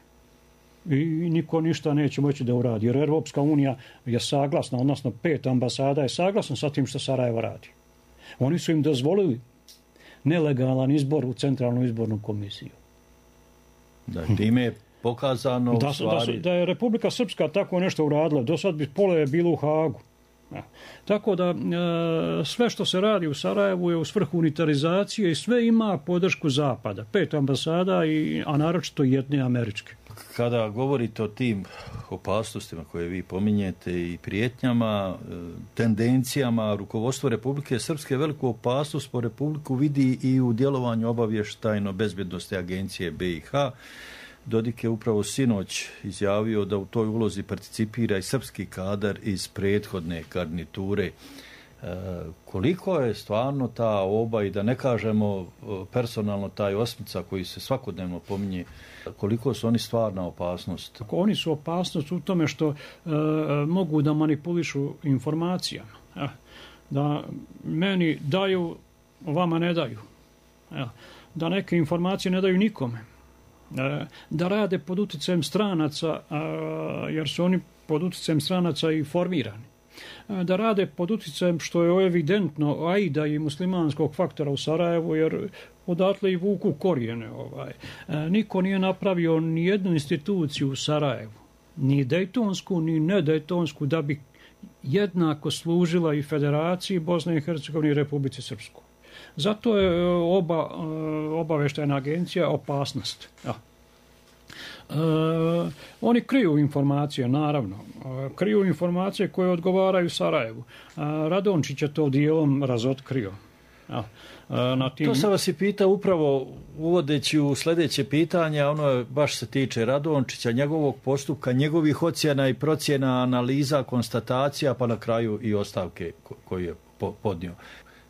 I niko ništa neće moći da uradi, jer Europska unija je saglasna, odnosno 5 ambasada je saglasno sa tim što Sarajevo radi. Oni su im dozvolili nelegalan izbor u Centralnu izbornu komisiju. Da, time je pokazano da je Republika Srpska tako nešto uradila. Do sad bi pola bilo u Hagu. Tako da sve što se radi u Sarajevu je u svrhu unitarizacije i sve ima podršku Zapada. 5 ambasada, a naročito jedne američke. Kada govorite o tim opasnostima koje vi pominjete i prijetnjama, tendencijama, rukovodstvo Republike Srpske veliku opasnost po Republiku vidi i u djelovanju obavještajno-bezbjednosne agencije BiH. Dodik je upravo sinoć izjavio da u toj ulozi participira i srpski kadar iz prethodne garniture. Koliko je stvarno ta oba, i da ne kažemo personalno taj Osmica koji se svakodnevno pominje, koliko su oni stvarna opasnost? Oni su opasnost u tome što mogu da manipulišu informacijama. Da meni daju, vama ne daju. Da neke informacije ne daju nikome. Da rade pod utjecajem stranaca, jer su oni pod utjecajem stranaca i formirani. Da rade pod utjecajem, što je evidentno, ajda i muslimanskog faktora u Sarajevu, jer odatle i vuku korijene. Niko nije napravio ni jednu instituciju u Sarajevu, ni dejtonsku, ni nedejtonsku, da bi jednako služila i Federaciji Bosne i Hercegovine i Republici Srpskoj. Zato je obavještajna agencija opasnost. Oni kriju informacije, naravno. Kriju informacije koje odgovaraju Sarajevu. Radončić je to dijelom razotkrio. To sam vas i pitao upravo uvodeći u sljedeće pitanje, ono baš se tiče Radončića, njegovog postupka, njegovih ocjena i procjena, analiza, konstatacija, pa na kraju i ostavke koju je podnio.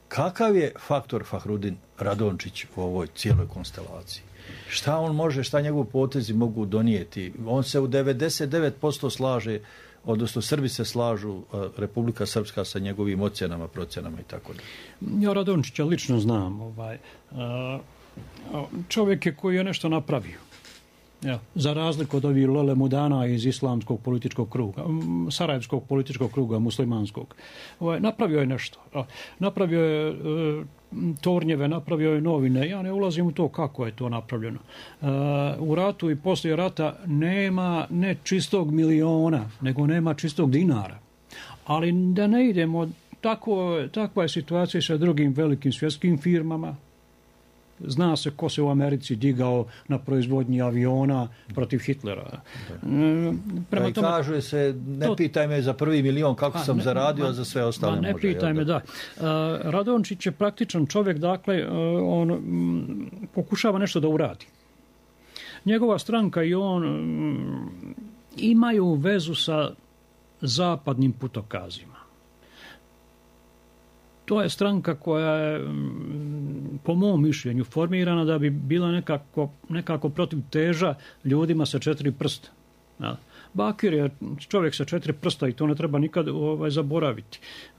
Kakav je faktor Fahrudin Radončić u ovoj cijeloj konstelaciji? Šta on može, šta njegovi potezi mogu donijeti? On se u 99% slaže, odnosno Srbi se slažu, Republika Srpska sa njegovim ocjenama, procjenama i tako dalje. Ja Radončića lično znam. Čovjek je koji je nešto napravio. Za razliku od ovih lelemudana iz islamskog političkog kruga, sarajevskog političkog kruga, muslimanskog. Napravio je nešto. Napravio je tornjeve, napravio je novine. Ja ne ulazim u to kako je to napravljeno. U ratu i poslije rata nema ne čistog miliona, nego nema čistog dinara. Ali da ne idemo, takva je situacija sa drugim velikim svjetskim firmama. Zna se ko se u Americi digao na proizvodnji aviona protiv Hitlera. Prema tome, kaže se, ne pitaj me za prvi milion kako sam zaradio, a za sve ostale može. Ne pitaj me, da. Radončić je praktičan čovjek, dakle, on pokušava nešto da uradi. Njegova stranka i on imaju vezu sa zapadnim putokazima. To je stranka koja je, po mom mišljenju, formirana da bi bila nekako protiv teža ljudima sa 4 prsta. Bakir je čovjek sa 4 prsta i to ne treba nikad zaboraviti.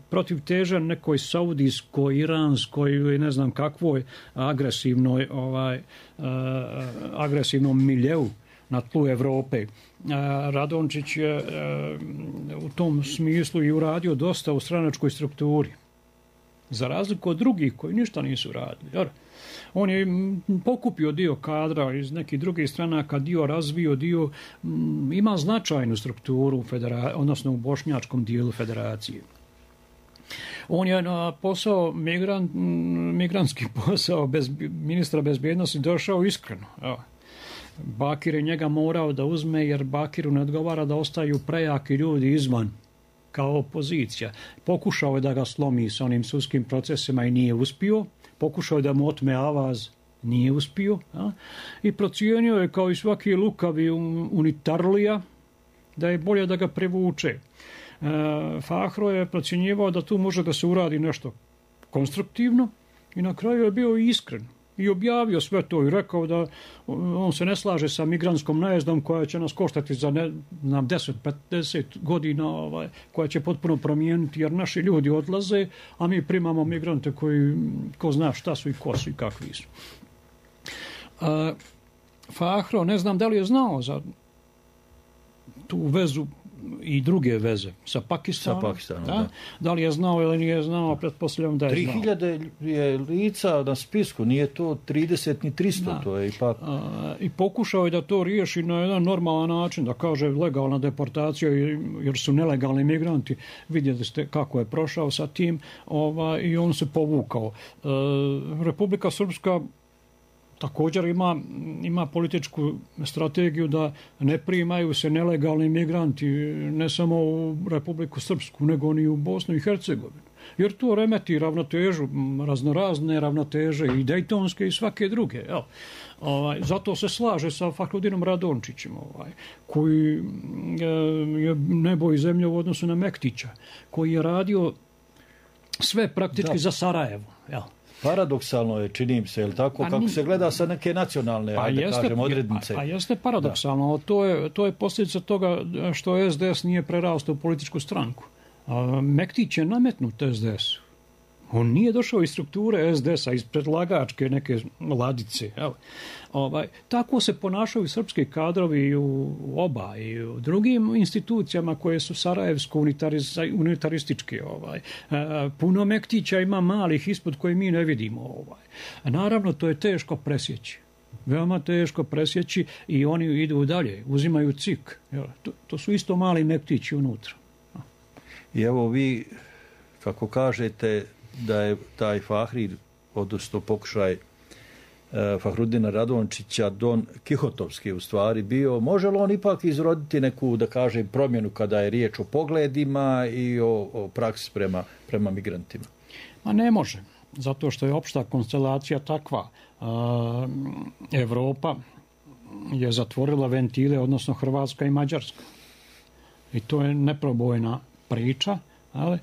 Protiv teža nekoj saudijskoj, iranskoj ili ne znam kakvoj agresivnom miljeu na tlu Evrope. Radončić je u tom smislu i uradio dosta u stranačkoj strukturi. Za razliku od drugih koji ništa nisu radili. On je pokupio dio kadra iz nekih drugih stranaka, dio razvio, dio ima značajnu strukturu, odnosno u bošnjačkom dijelu federacije. On je na posao, migrantski posao bez ministra bezbjednosti došao iskreno. Bakir je njega morao da uzme jer Bakiru ne odgovara da ostaju prejaki ljudi izvan kao opozicija. Pokušao je da ga slomi s onim sudskim procesima i nije uspio. Pokušao je da mu otme avaz nije uspio, i procijenio je kao i svaki lukavi unitarlija da je bolje da ga privuče. Fahro je procjenjivao da tu može da se uradi nešto konstruktivno i na kraju je bio iskren i objavio sve to i rekao da on se ne slaže sa migrantskom najezdom koja će nas koštati za 10-50 godina, koja će potpuno promijeniti, jer naši ljudi odlaze, a mi primamo migrante koji ko zna šta su i ko su i kakvi su. Fahro, ne znam da li je znao za tu vezu i druge veze sa Pakistanom. Da li je znao ili nije znao, pretpostavljam da je znao. 3000 je lica na spisku, nije to 30 ni 300, to je ipak... I pokušao je da to riješi na jedan normalan način, da kaže legalna deportacija, jer su nelegalni migranti. Vidjeli ste kako je prošao sa tim, i on se povukao. Republika Srpska također ima političku strategiju da ne primaju se nelegalni migranti ne samo u Republiku Srpsku, nego ni u Bosnu i Hercegovinu. Jer to remeti ravnotežu, raznorazne ravnoteže i dejtonske i svake druge. Zato se slaže sa Fahrudinom Radončićem, koji je nebo i zemlja u odnosu na Mektića, koji je radio sve praktički za Sarajevo. Paradoksalno je, čini mi se, je li tako, kako se gleda sa neke nacionalne, odrednice. Jeste paradoksalno, to je posljedica toga što SDS nije prerastao u političku stranku. Mektić je nametnut SDS-u. On nije došao iz strukture SDS-a, iz predlagačke neke ladice. Tako se ponašaju srpski kadrovi u oba i u drugim institucijama koje su sarajevsko unitarističke. Puno Mektića ima malih ispod koje mi ne vidimo. Naravno, to je teško presjeći. Veoma teško presjeći i oni idu dalje, uzimaju cik. To su isto mali Mektići unutra. I evo vi, kako kažete, da je taj Fahri, odnosno pokušaj Fahrudina Radončića, Don Kihotovski u stvari bio, može li on ipak izroditi neku, da kažem, promjenu kada je riječ o pogledima i o praksi prema migrantima? Ma ne može, zato što je opšta konstelacija takva. Evropa je zatvorila ventile, odnosno Hrvatska i Mađarska. I to je neprobojna priča, ali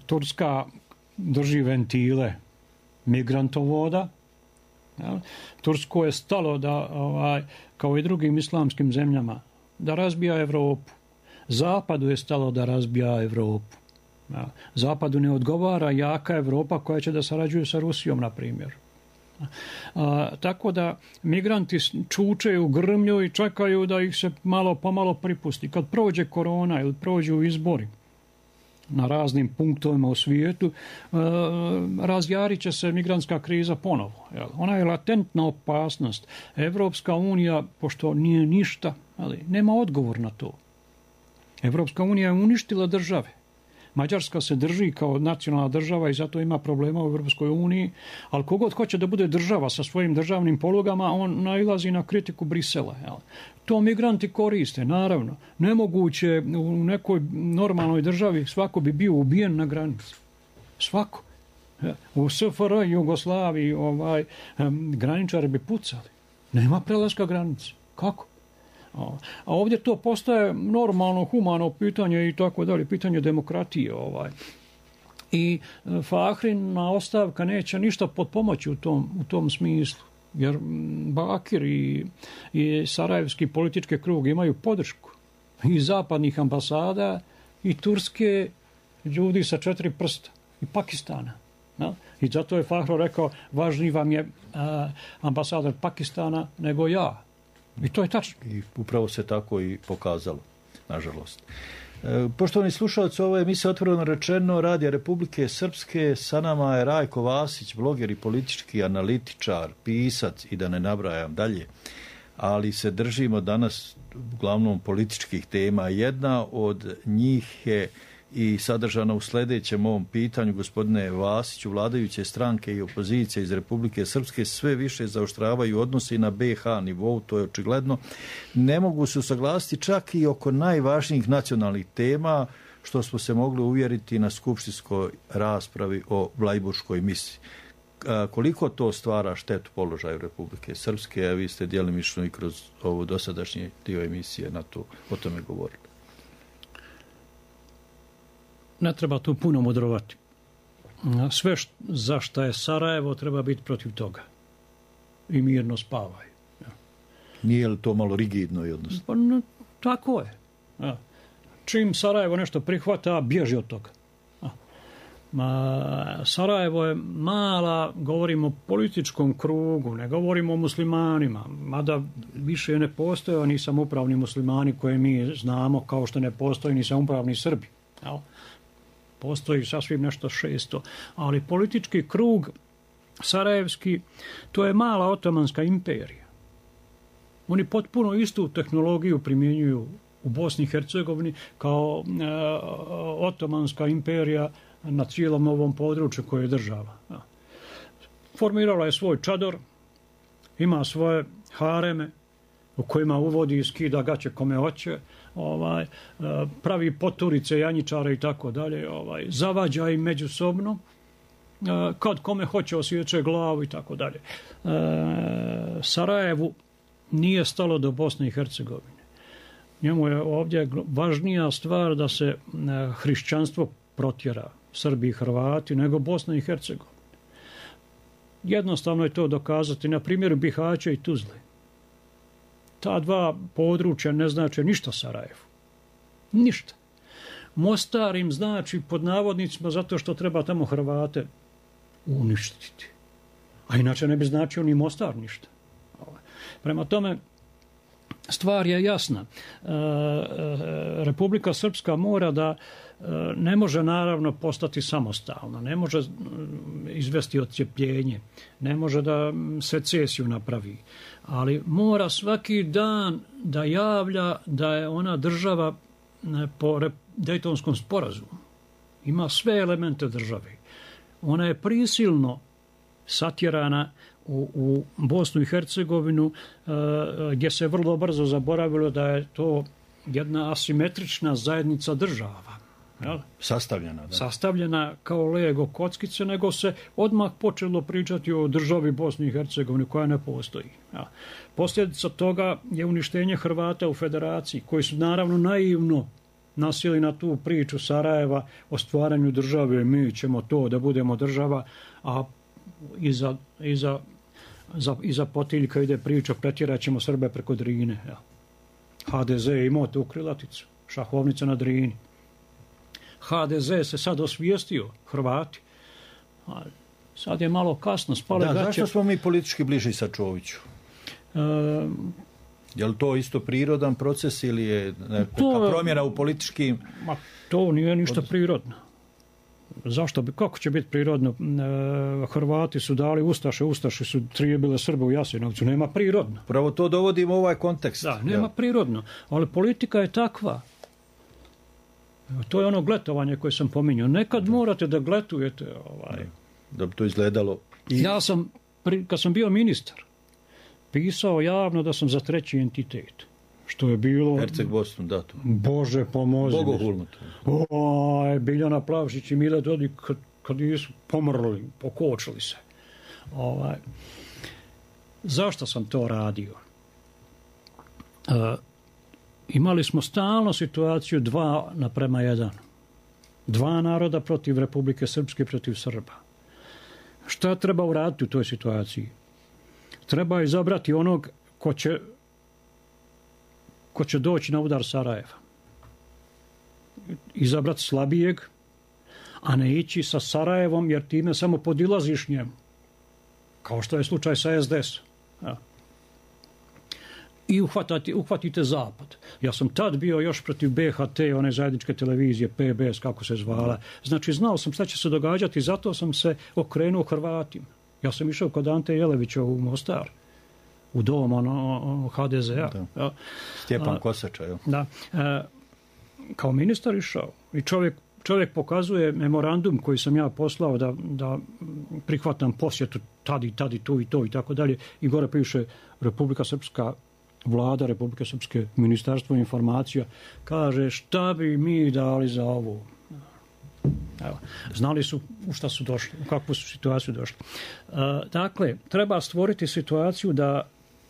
Turska drži ventile migrantovoda. Tursko je stalo da, kao i drugim islamskim zemljama, da razbija Evropu. Zapadu je stalo da razbija Evropu. Zapadu ne odgovara jaka Evropa koja će da sarađuje sa Rusijom, na primjer. Tako da migranti čučeju, grmlju i čekaju da ih se malo pomalo pripusti. Kad prođe korona ili prođu izbori na raznim punktovima u svijetu, razjarit će se migrantska kriza ponovo. Ona je latentna opasnost. Evropska unija, pošto nije ništa, ali nema odgovor na to. Evropska unija je uništila države. Mađarska se drži kao nacionalna država i zato ima problema u Europskoj uniji, ali kogod hoće da bude država sa svojim državnim polugama, on nailazi na kritiku Brisela. To migranti koriste, naravno. Nemoguće u nekoj normalnoj državi, svako bi bio ubijen na granici. Svako. U SFRJ i Jugoslaviji graničari bi pucali. Nema prelaska granice. Kako? A ovdje to postaje normalno, humano pitanje i tako dalje, pitanje demokratije. I Fahrina ostavka neće ništa potpomoći u tom smislu, jer Bakir i sarajevski politički krug imaju podršku i zapadnih ambasada i Turske, ljudi sa 4 prsta i Pakistana. I zato je Fahro rekao, važniji vam je ambasador Pakistana nego ja. I to je tačno. I upravo se tako i pokazalo, nažalost. Poštovani slušalci, ovo je emisija Otvoreno rečeno Radija Republike Srpske. Sa nama je Rajko Vasić, bloger i politički analitičar, pisac i da ne nabrajam dalje. Ali se držimo danas uglavnom političkih tema. Jedna od njih je i sadržana u sljedećem ovom pitanju, gospodine Vasiću. Vladajuće stranke i opozicije iz Republike Srpske sve više zaoštravaju odnosi na BiH nivou, to je očigledno. Ne mogu se usaglasiti čak i oko najvažnijih nacionalnih tema, što smo se mogli uvjeriti na skupštinskoj raspravi o Vlajburškoj misiji. koliko to stvara štetu položaju Republike Srpske, a vi ste djelimično i kroz ovo dosadašnji dio emisije o tome govorili. Ne treba tu puno mudrovati. Sve za što je Sarajevo treba biti protiv toga. I mirno spavaj. Nije li to malo rigidno i odnosno? Pa, tako je. Čim Sarajevo nešto prihvata, bježi od toga. Sarajevo je mala, govorimo o političkom krugu, ne govorimo o muslimanima, mada više ne postoje ni samoupravni muslimani koje mi znamo, kao što ne postoji ni samoupravni Srbi. Postoji sasvim nešto 600. Ali politički krug sarajevski, to je mala otomanska imperija. Oni potpuno istu tehnologiju primjenjuju u Bosni i Hercegovini kao otomanska imperija na cijelom ovom području koje je država. Formirala je svoj čador, ima svoje hareme u kojima uvodi i skida gaće kome hoće, pravi poturice, janjičare i tako dalje, zavađa im međusobno, kad kome hoće osjeće glavu i tako dalje. Sarajevu nije stalo do Bosne i Hercegovine. Njemu je ovdje važnija stvar da se hrišćanstvo protjera, Srbi i Hrvati, nego Bosna i Hercegovina. Jednostavno je to dokazati na primjeru Bihaća i Tuzle. Ta dva područja ne znače ništa Sarajevu. Ništa. Mostar im znači pod navodnicima zato što treba tamo Hrvate uništiti. A inače ne bi značio ni Mostar ništa. Prema tome, stvar je jasna. Republika Srpska mora da ne može naravno postati samostalna, ne može izvesti odcjepljenje, ne može da secesiju napravi, ali mora svaki dan da javlja da je ona država po Dejtonskom sporazumu. Ima sve elemente države. Ona je prisilno satjerana u Bosnu i Hercegovinu, gdje se vrlo brzo zaboravilo da je to jedna asimetrična zajednica država. Sastavljena. Da. Sastavljena kao Lego kockice, nego se odmah počelo pričati o državi Bosni i Hercegovini koja ne postoji. Posljedica toga je uništenje Hrvata u federaciji, koji su naravno naivno nasjeli na tu priču Sarajeva o stvaranju države, mi ćemo to da budemo država, a iza potiljka ide priča, pretjerat ćemo Srbe preko Drine. HDZ je imao tu krilaticu, šahovnica na Drini. HDZ se sad osvijestio, Hrvati. Sad je malo kasno, spale gaće. Zašto smo mi politički bliži sa Čoviću? Je li to isto prirodan proces ili je neka promjena u političkim... To nije ništa prirodno. Zašto bi, kako će biti prirodno? Hrvati su dali Ustaše su trijebile Srbe u Jasenovcu. Nema prirodno. Pravo to dovodimo u ovaj kontekst. Da, nema prirodno. Ali politika je takva. To je ono gletovanje koje sam pominjao. Nekad morate da gletujete. Da bi to izgledalo. Ja sam, kad sam bio ministar, pisao javno da sam za treći entitet. Što je bilo... Herceg-Bosnu, da to. Bože, pomozi. Bogohulno to. Biljana Plavšić i Mile Dodik kad nisu pomrli, pokočili se. Zašto sam to radio? Imali smo stalno situaciju 2:1. 2 naroda protiv Republike Srpske, protiv Srba. Šta treba uraditi u toj situaciji? Treba izabrati onog ko će doći na udar Sarajeva. Izabrati slabijeg, a ne ići sa Sarajevom, jer time samo podilaziš njemu. Kao što je slučaj sa SDS. I uhvatite Zapad. Ja sam tad bio još protiv BHT, one zajedničke televizije, PBS, kako se zvala. Znači, znao sam šta će se događati, zato sam se okrenuo Hrvatima. Ja sam išao kod Ante Jelevića u Mostar, u dom HDZ-a. Stjepan Kosača, jo. Da. Kao ministar išao. I čovjek pokazuje memorandum koji sam ja poslao da prihvatam posjetu tad i tu i to i tako dalje. I gore piše Republika Srpska, Vlada Republike Srpske, Ministarstvo informacija, kaže šta bi mi dali za ovo. Evo, znali su u šta su došli, u kakvu su situaciju došli. Dakle, treba stvoriti situaciju da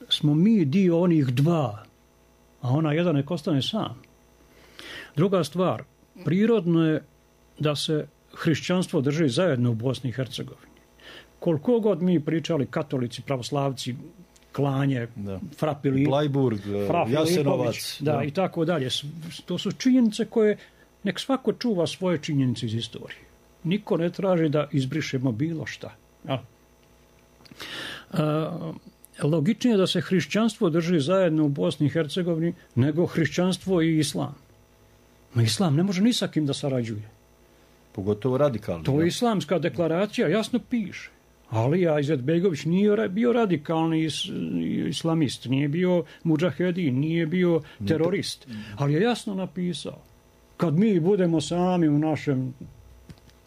smo mi dio onih dva, a ona jedan nek ostane sam. Druga stvar, prirodno je da se hrišćanstvo drži zajedno u Bosni i Hercegovini. Koliko god mi pričali katolici, pravoslavci, klanje, Frapili, Blajburg, Jasenovac, da, i tako dalje. To su činjenice koje nek svako čuva svoje činjenice iz istorije. Niko ne traži da izbrišemo bilo šta. Logičnije je da se hrišćanstvo drži zajedno u Bosni i Hercegovini nego hrišćanstvo i islam. No, islam ne može ni sa kim da sarađuje. Pogotovo radikalni. To je islamska deklaracija, jasno piše. Alija Izetbegović nije bio radikalni islamist, nije bio mudžahedin, nije bio terorist, ali je jasno napisao. Kad mi budemo sami u našem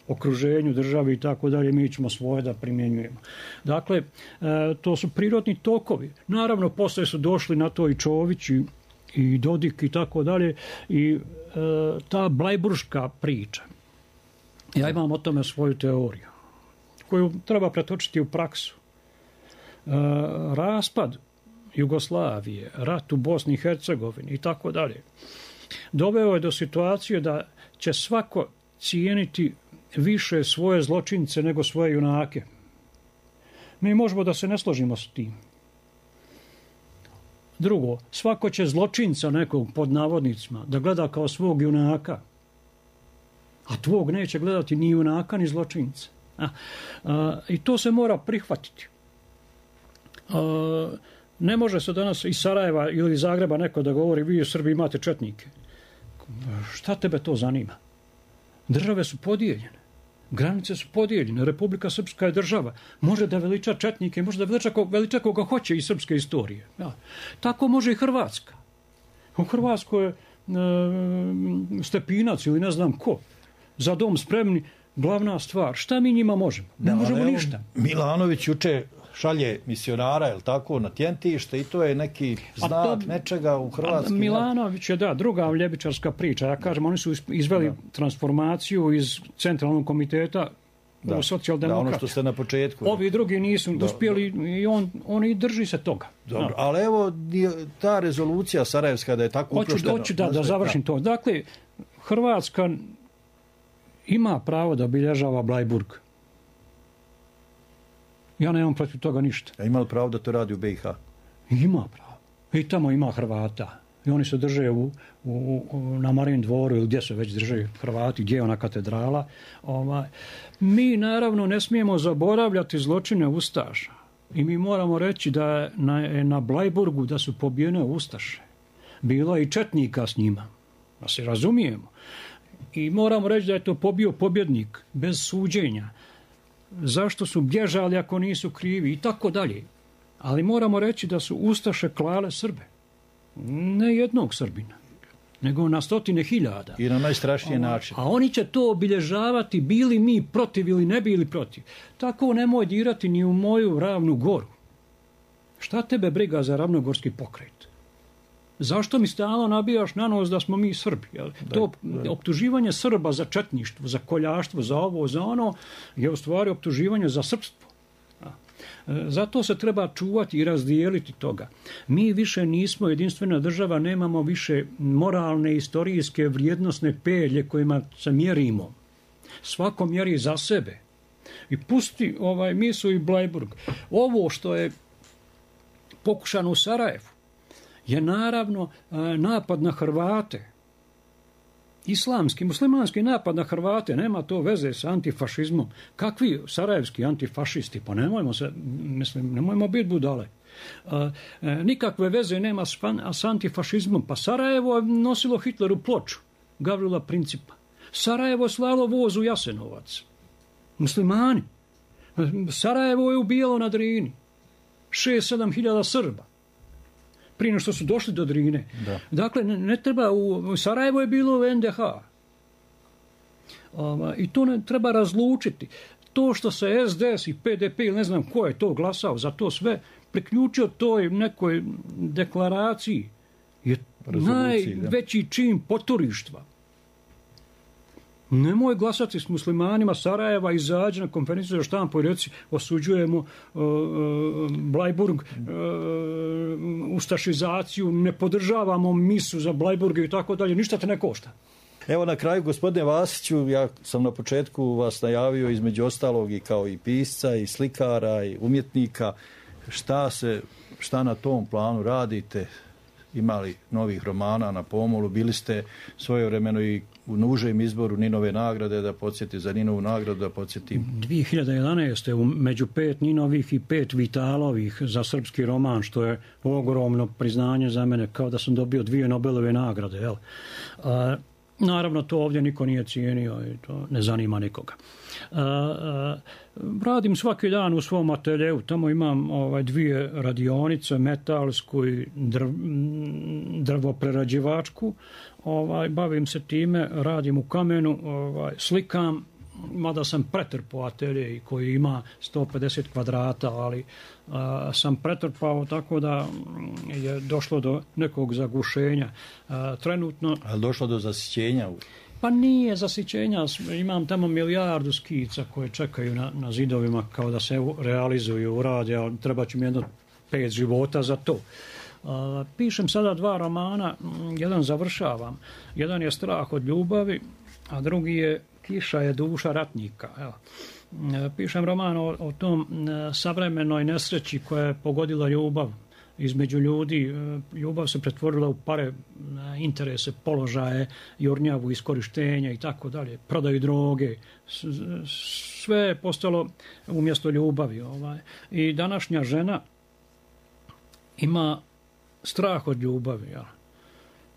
okruženju, državi i tako dalje, mi ćemo svoje da primjenjujemo. Dakle, to su prirodni tokovi. Naravno, poslije su došli na to i Čović i Dodik i tako dalje. I ta blajburška priča. Ja imam o tome svoju teoriju, koju treba pretočiti u praksu. Raspad Jugoslavije, rat u Bosni i Hercegovini i tako dalje, doveo je do situacije da će svako cijeniti više svoje zločince nego svoje junake. Mi možemo da se ne složimo s tim. Drugo, svako će zločinca nekog, pod navodnicima, da gleda kao svog junaka, a tvog neće gledati ni junaka ni zločinca. I to se mora prihvatiti. Ne može se danas iz Sarajeva ili Zagreba neko da govori vi u Srbiji imate četnike. Šta tebe to zanima? Države su podijeljene. Granice su podijeljene. Republika Srpska je država. Može da veliča četnike, može da veliča koga hoće iz srpske istorije. Ja. Tako može i Hrvatska. U Hrvatskoj je Stepinac ili ne znam ko. Za dom spremni, glavna stvar. Šta mi njima možemo? Ne možemo ništa. Milanović juče šalje misionara, je li tako, na Tjentište i to je neki znak nečega u Hrvatskoj. Milanović je, druga ljevičarska priča. Ja kažem, oni su izveli transformaciju iz centralnog komiteta u socijaldemokrata. Ono što ste na početku. Ovi drugi nisu uspjeli i on i drži se toga. Dobro, ali evo ta rezolucija sarajevska da je tako uproštena. Hoću da završim to. Dakle, Hrvatska ima pravo da obilježava Blajburg. Ja nemam protiv toga ništa. A ima li pravo da to radi u BiH? Ima pravo. I tamo ima Hrvata. I oni se drže na Marijin dvoru ili gdje se već drže Hrvati, gdje je ona katedrala. Mi naravno ne smijemo zaboravljati zločine Ustaša. I mi moramo reći da je na Blajburgu da su pobijene Ustaše. Bilo je i četnika s njima. Da se razumijemo. I moramo reći da je to pobio pobjednik bez suđenja. Zašto su bježali ako nisu krivi i tako dalje. Ali moramo reći da su Ustaše klale Srbe. Ne jednog Srbina, nego na 100.000. I na najstrašniji način. A oni će to obilježavati bili mi protiv ili ne bili protiv. Tako nemoj dirati ni u moju Ravnu Goru. Šta tebe briga za ravnogorski pokret? Zašto mi stalno nabijaš na nos da smo mi Srbi? Optuživanje Srba za četništvo, za koljaštvo, za ovo, za ono, je u stvari optuživanje za srpstvo. Zato se treba čuvati i razdijeliti toga. Mi više nismo jedinstvena država, nemamo više moralne, istorijske, vrijednosne pelje kojima se mjerimo. Svako mjeri za sebe. I pusti misu i Blajburg. Ovo što je pokušano u Sarajevu je naravno napad na Hrvate. Islamski, muslimanski napad na Hrvate, nema to veze sa antifašizmom. Kakvi sarajevski antifašisti? Pa nemojmo biti budale. Nikakve veze nema s antifašizmom. Pa Sarajevo je nosilo Hitleru ploču Gavrila Principa. Sarajevo je slalo voz u Jasenovac. Muslimani. Sarajevo je ubijalo na Drini 6-7 hiljada Srba. Prije što su došli do Drine. Da. Dakle, ne treba, u Sarajevo je bilo u NDH. I to ne treba razlučiti. To što se SDS i PDP ili ne znam ko je to glasao za to sve, priključio toj nekoj deklaraciji je najveći čin poturištva. Nemoj glasati s muslimanima Sarajeva, izađi na konferenciju za štampu i reci osuđujemo Blajburg, ustašizaciju, ne podržavamo misu za Blajburg i tako dalje, ništa te ne košta. Evo na kraju, gospodine Vasiću, ja sam na početku vas najavio između ostalog i kao i pisca i slikara i umjetnika. Šta na tom planu radite? Imali novih romana na pomolu? Bili ste svojevremeno i u užem izboru Ninove nagrade, da podsjetim za Ninovu nagradu, da podsjetim. 2011. među 5 Ninovih i 5 Vitalovih za srpski roman, što je ogromno priznanje za mene, kao da sam dobio 2 Nobelove nagrade. Jel? Naravno, to ovdje niko nije cijenio i to ne zanima nikoga. Radim svaki dan u svom ateljeu, tamo imam 2 radionice, metalsku i drvoprerađivačku. Bavim se time, radim u kamenu, slikam, mada sam pretrpao atelje koji ima 150 kvadrata, ali sam pretrpao tako da je došlo do nekog zagušenja. Trenutno... Ali došlo do zasićenja? Pa nije zasićenja, imam tamo milijardu skica koje čekaju na zidovima kao da se realizuju, urade, ali treba će mi jedno 5 života za to. Pišem sada 2 romana, jedan završavam. Jedan je Strah od ljubavi, a drugi je Kiša je duša ratnika. Evo. Pišem roman o tom savremenoj nesreći koja je pogodila ljubav između ljudi. Ljubav se pretvorila u pare, interese, položaje, jurnjavu, iskorištenja i tako dalje, prodaju droge. Sve je postalo umjesto ljubavi. I današnja žena ima strah od ljubavi. Ja.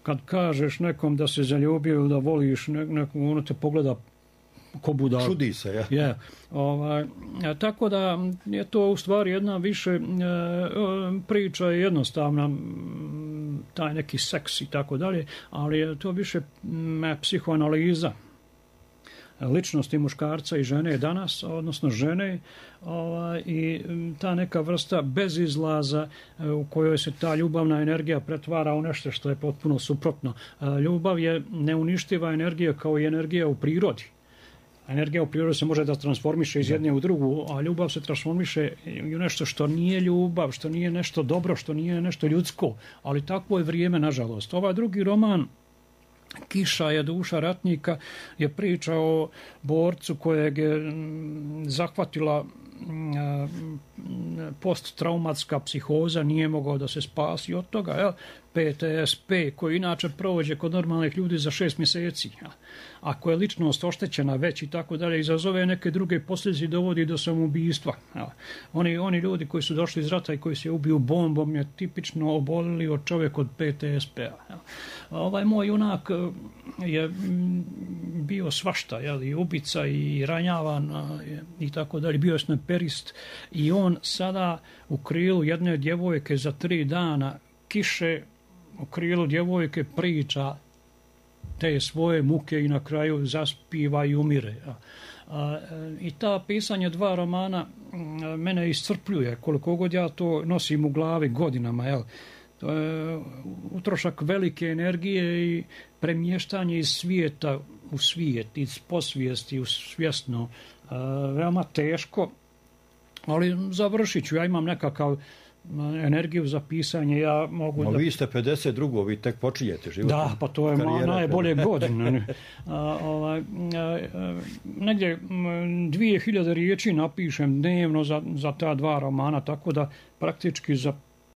Kad kažeš nekom da se zaljubio ili da voliš nekom, ono te pogleda ko budal. Čudi se, ja. Tako da je to u stvari jedna više priča je jednostavna, taj neki seks i tako dalje, ali je to više psihoanaliza ličnosti muškarca i žene danas, odnosno žene, i ta neka vrsta bezizlaza u kojoj se ta ljubavna energija pretvara u nešto što je potpuno suprotno. Ljubav je neuništiva energija kao i energija u prirodi. Energija u prirodi se može da transformiše iz jedne u drugu, a ljubav se transformiše u nešto što nije ljubav, što nije nešto dobro, što nije nešto ljudsko, ali takvo je vrijeme, nažalost. Ovaj drugi roman, Kiša je duša ratnika, je priča o borcu kojeg je zahvatila posttraumatska psihoza, nije mogao da se spasi od toga, PTSP, koji inače prođe kod normalnih ljudi za 6 mjeseci. Ako je ličnost oštećena već i tako dalje, izazove neke druge posljedice i dovodi do samoubistva. Oni ljudi koji su došli iz rata i koji se ubiju bombom je tipično obolili od čovjek od PTSP-a. Ovaj moj junak je bio svašta, i ubica i ranjavan i tako dalje, bio je snajperist i on sada u krilu jedne djevojke za 3 dana kiše, u krilu djevojke priča te svoje muke i na kraju zaspiva i umire. I ta pisanje 2 romana mene iscrpljuje, koliko god ja to nosim u glavi godinama. To je utrošak velike energije i premještanje iz svijeta u svijet, iz posvijesti u svjesno. Veoma teško, ali završit ću. Ja imam nekakav energiju za pisanje, ja mogu da... Vi ste 52. vi tek počinjete život. Da, pa to je najbolje godine. Negdje 2000 riječi napišem dnevno za ta 2 romana, tako da praktički za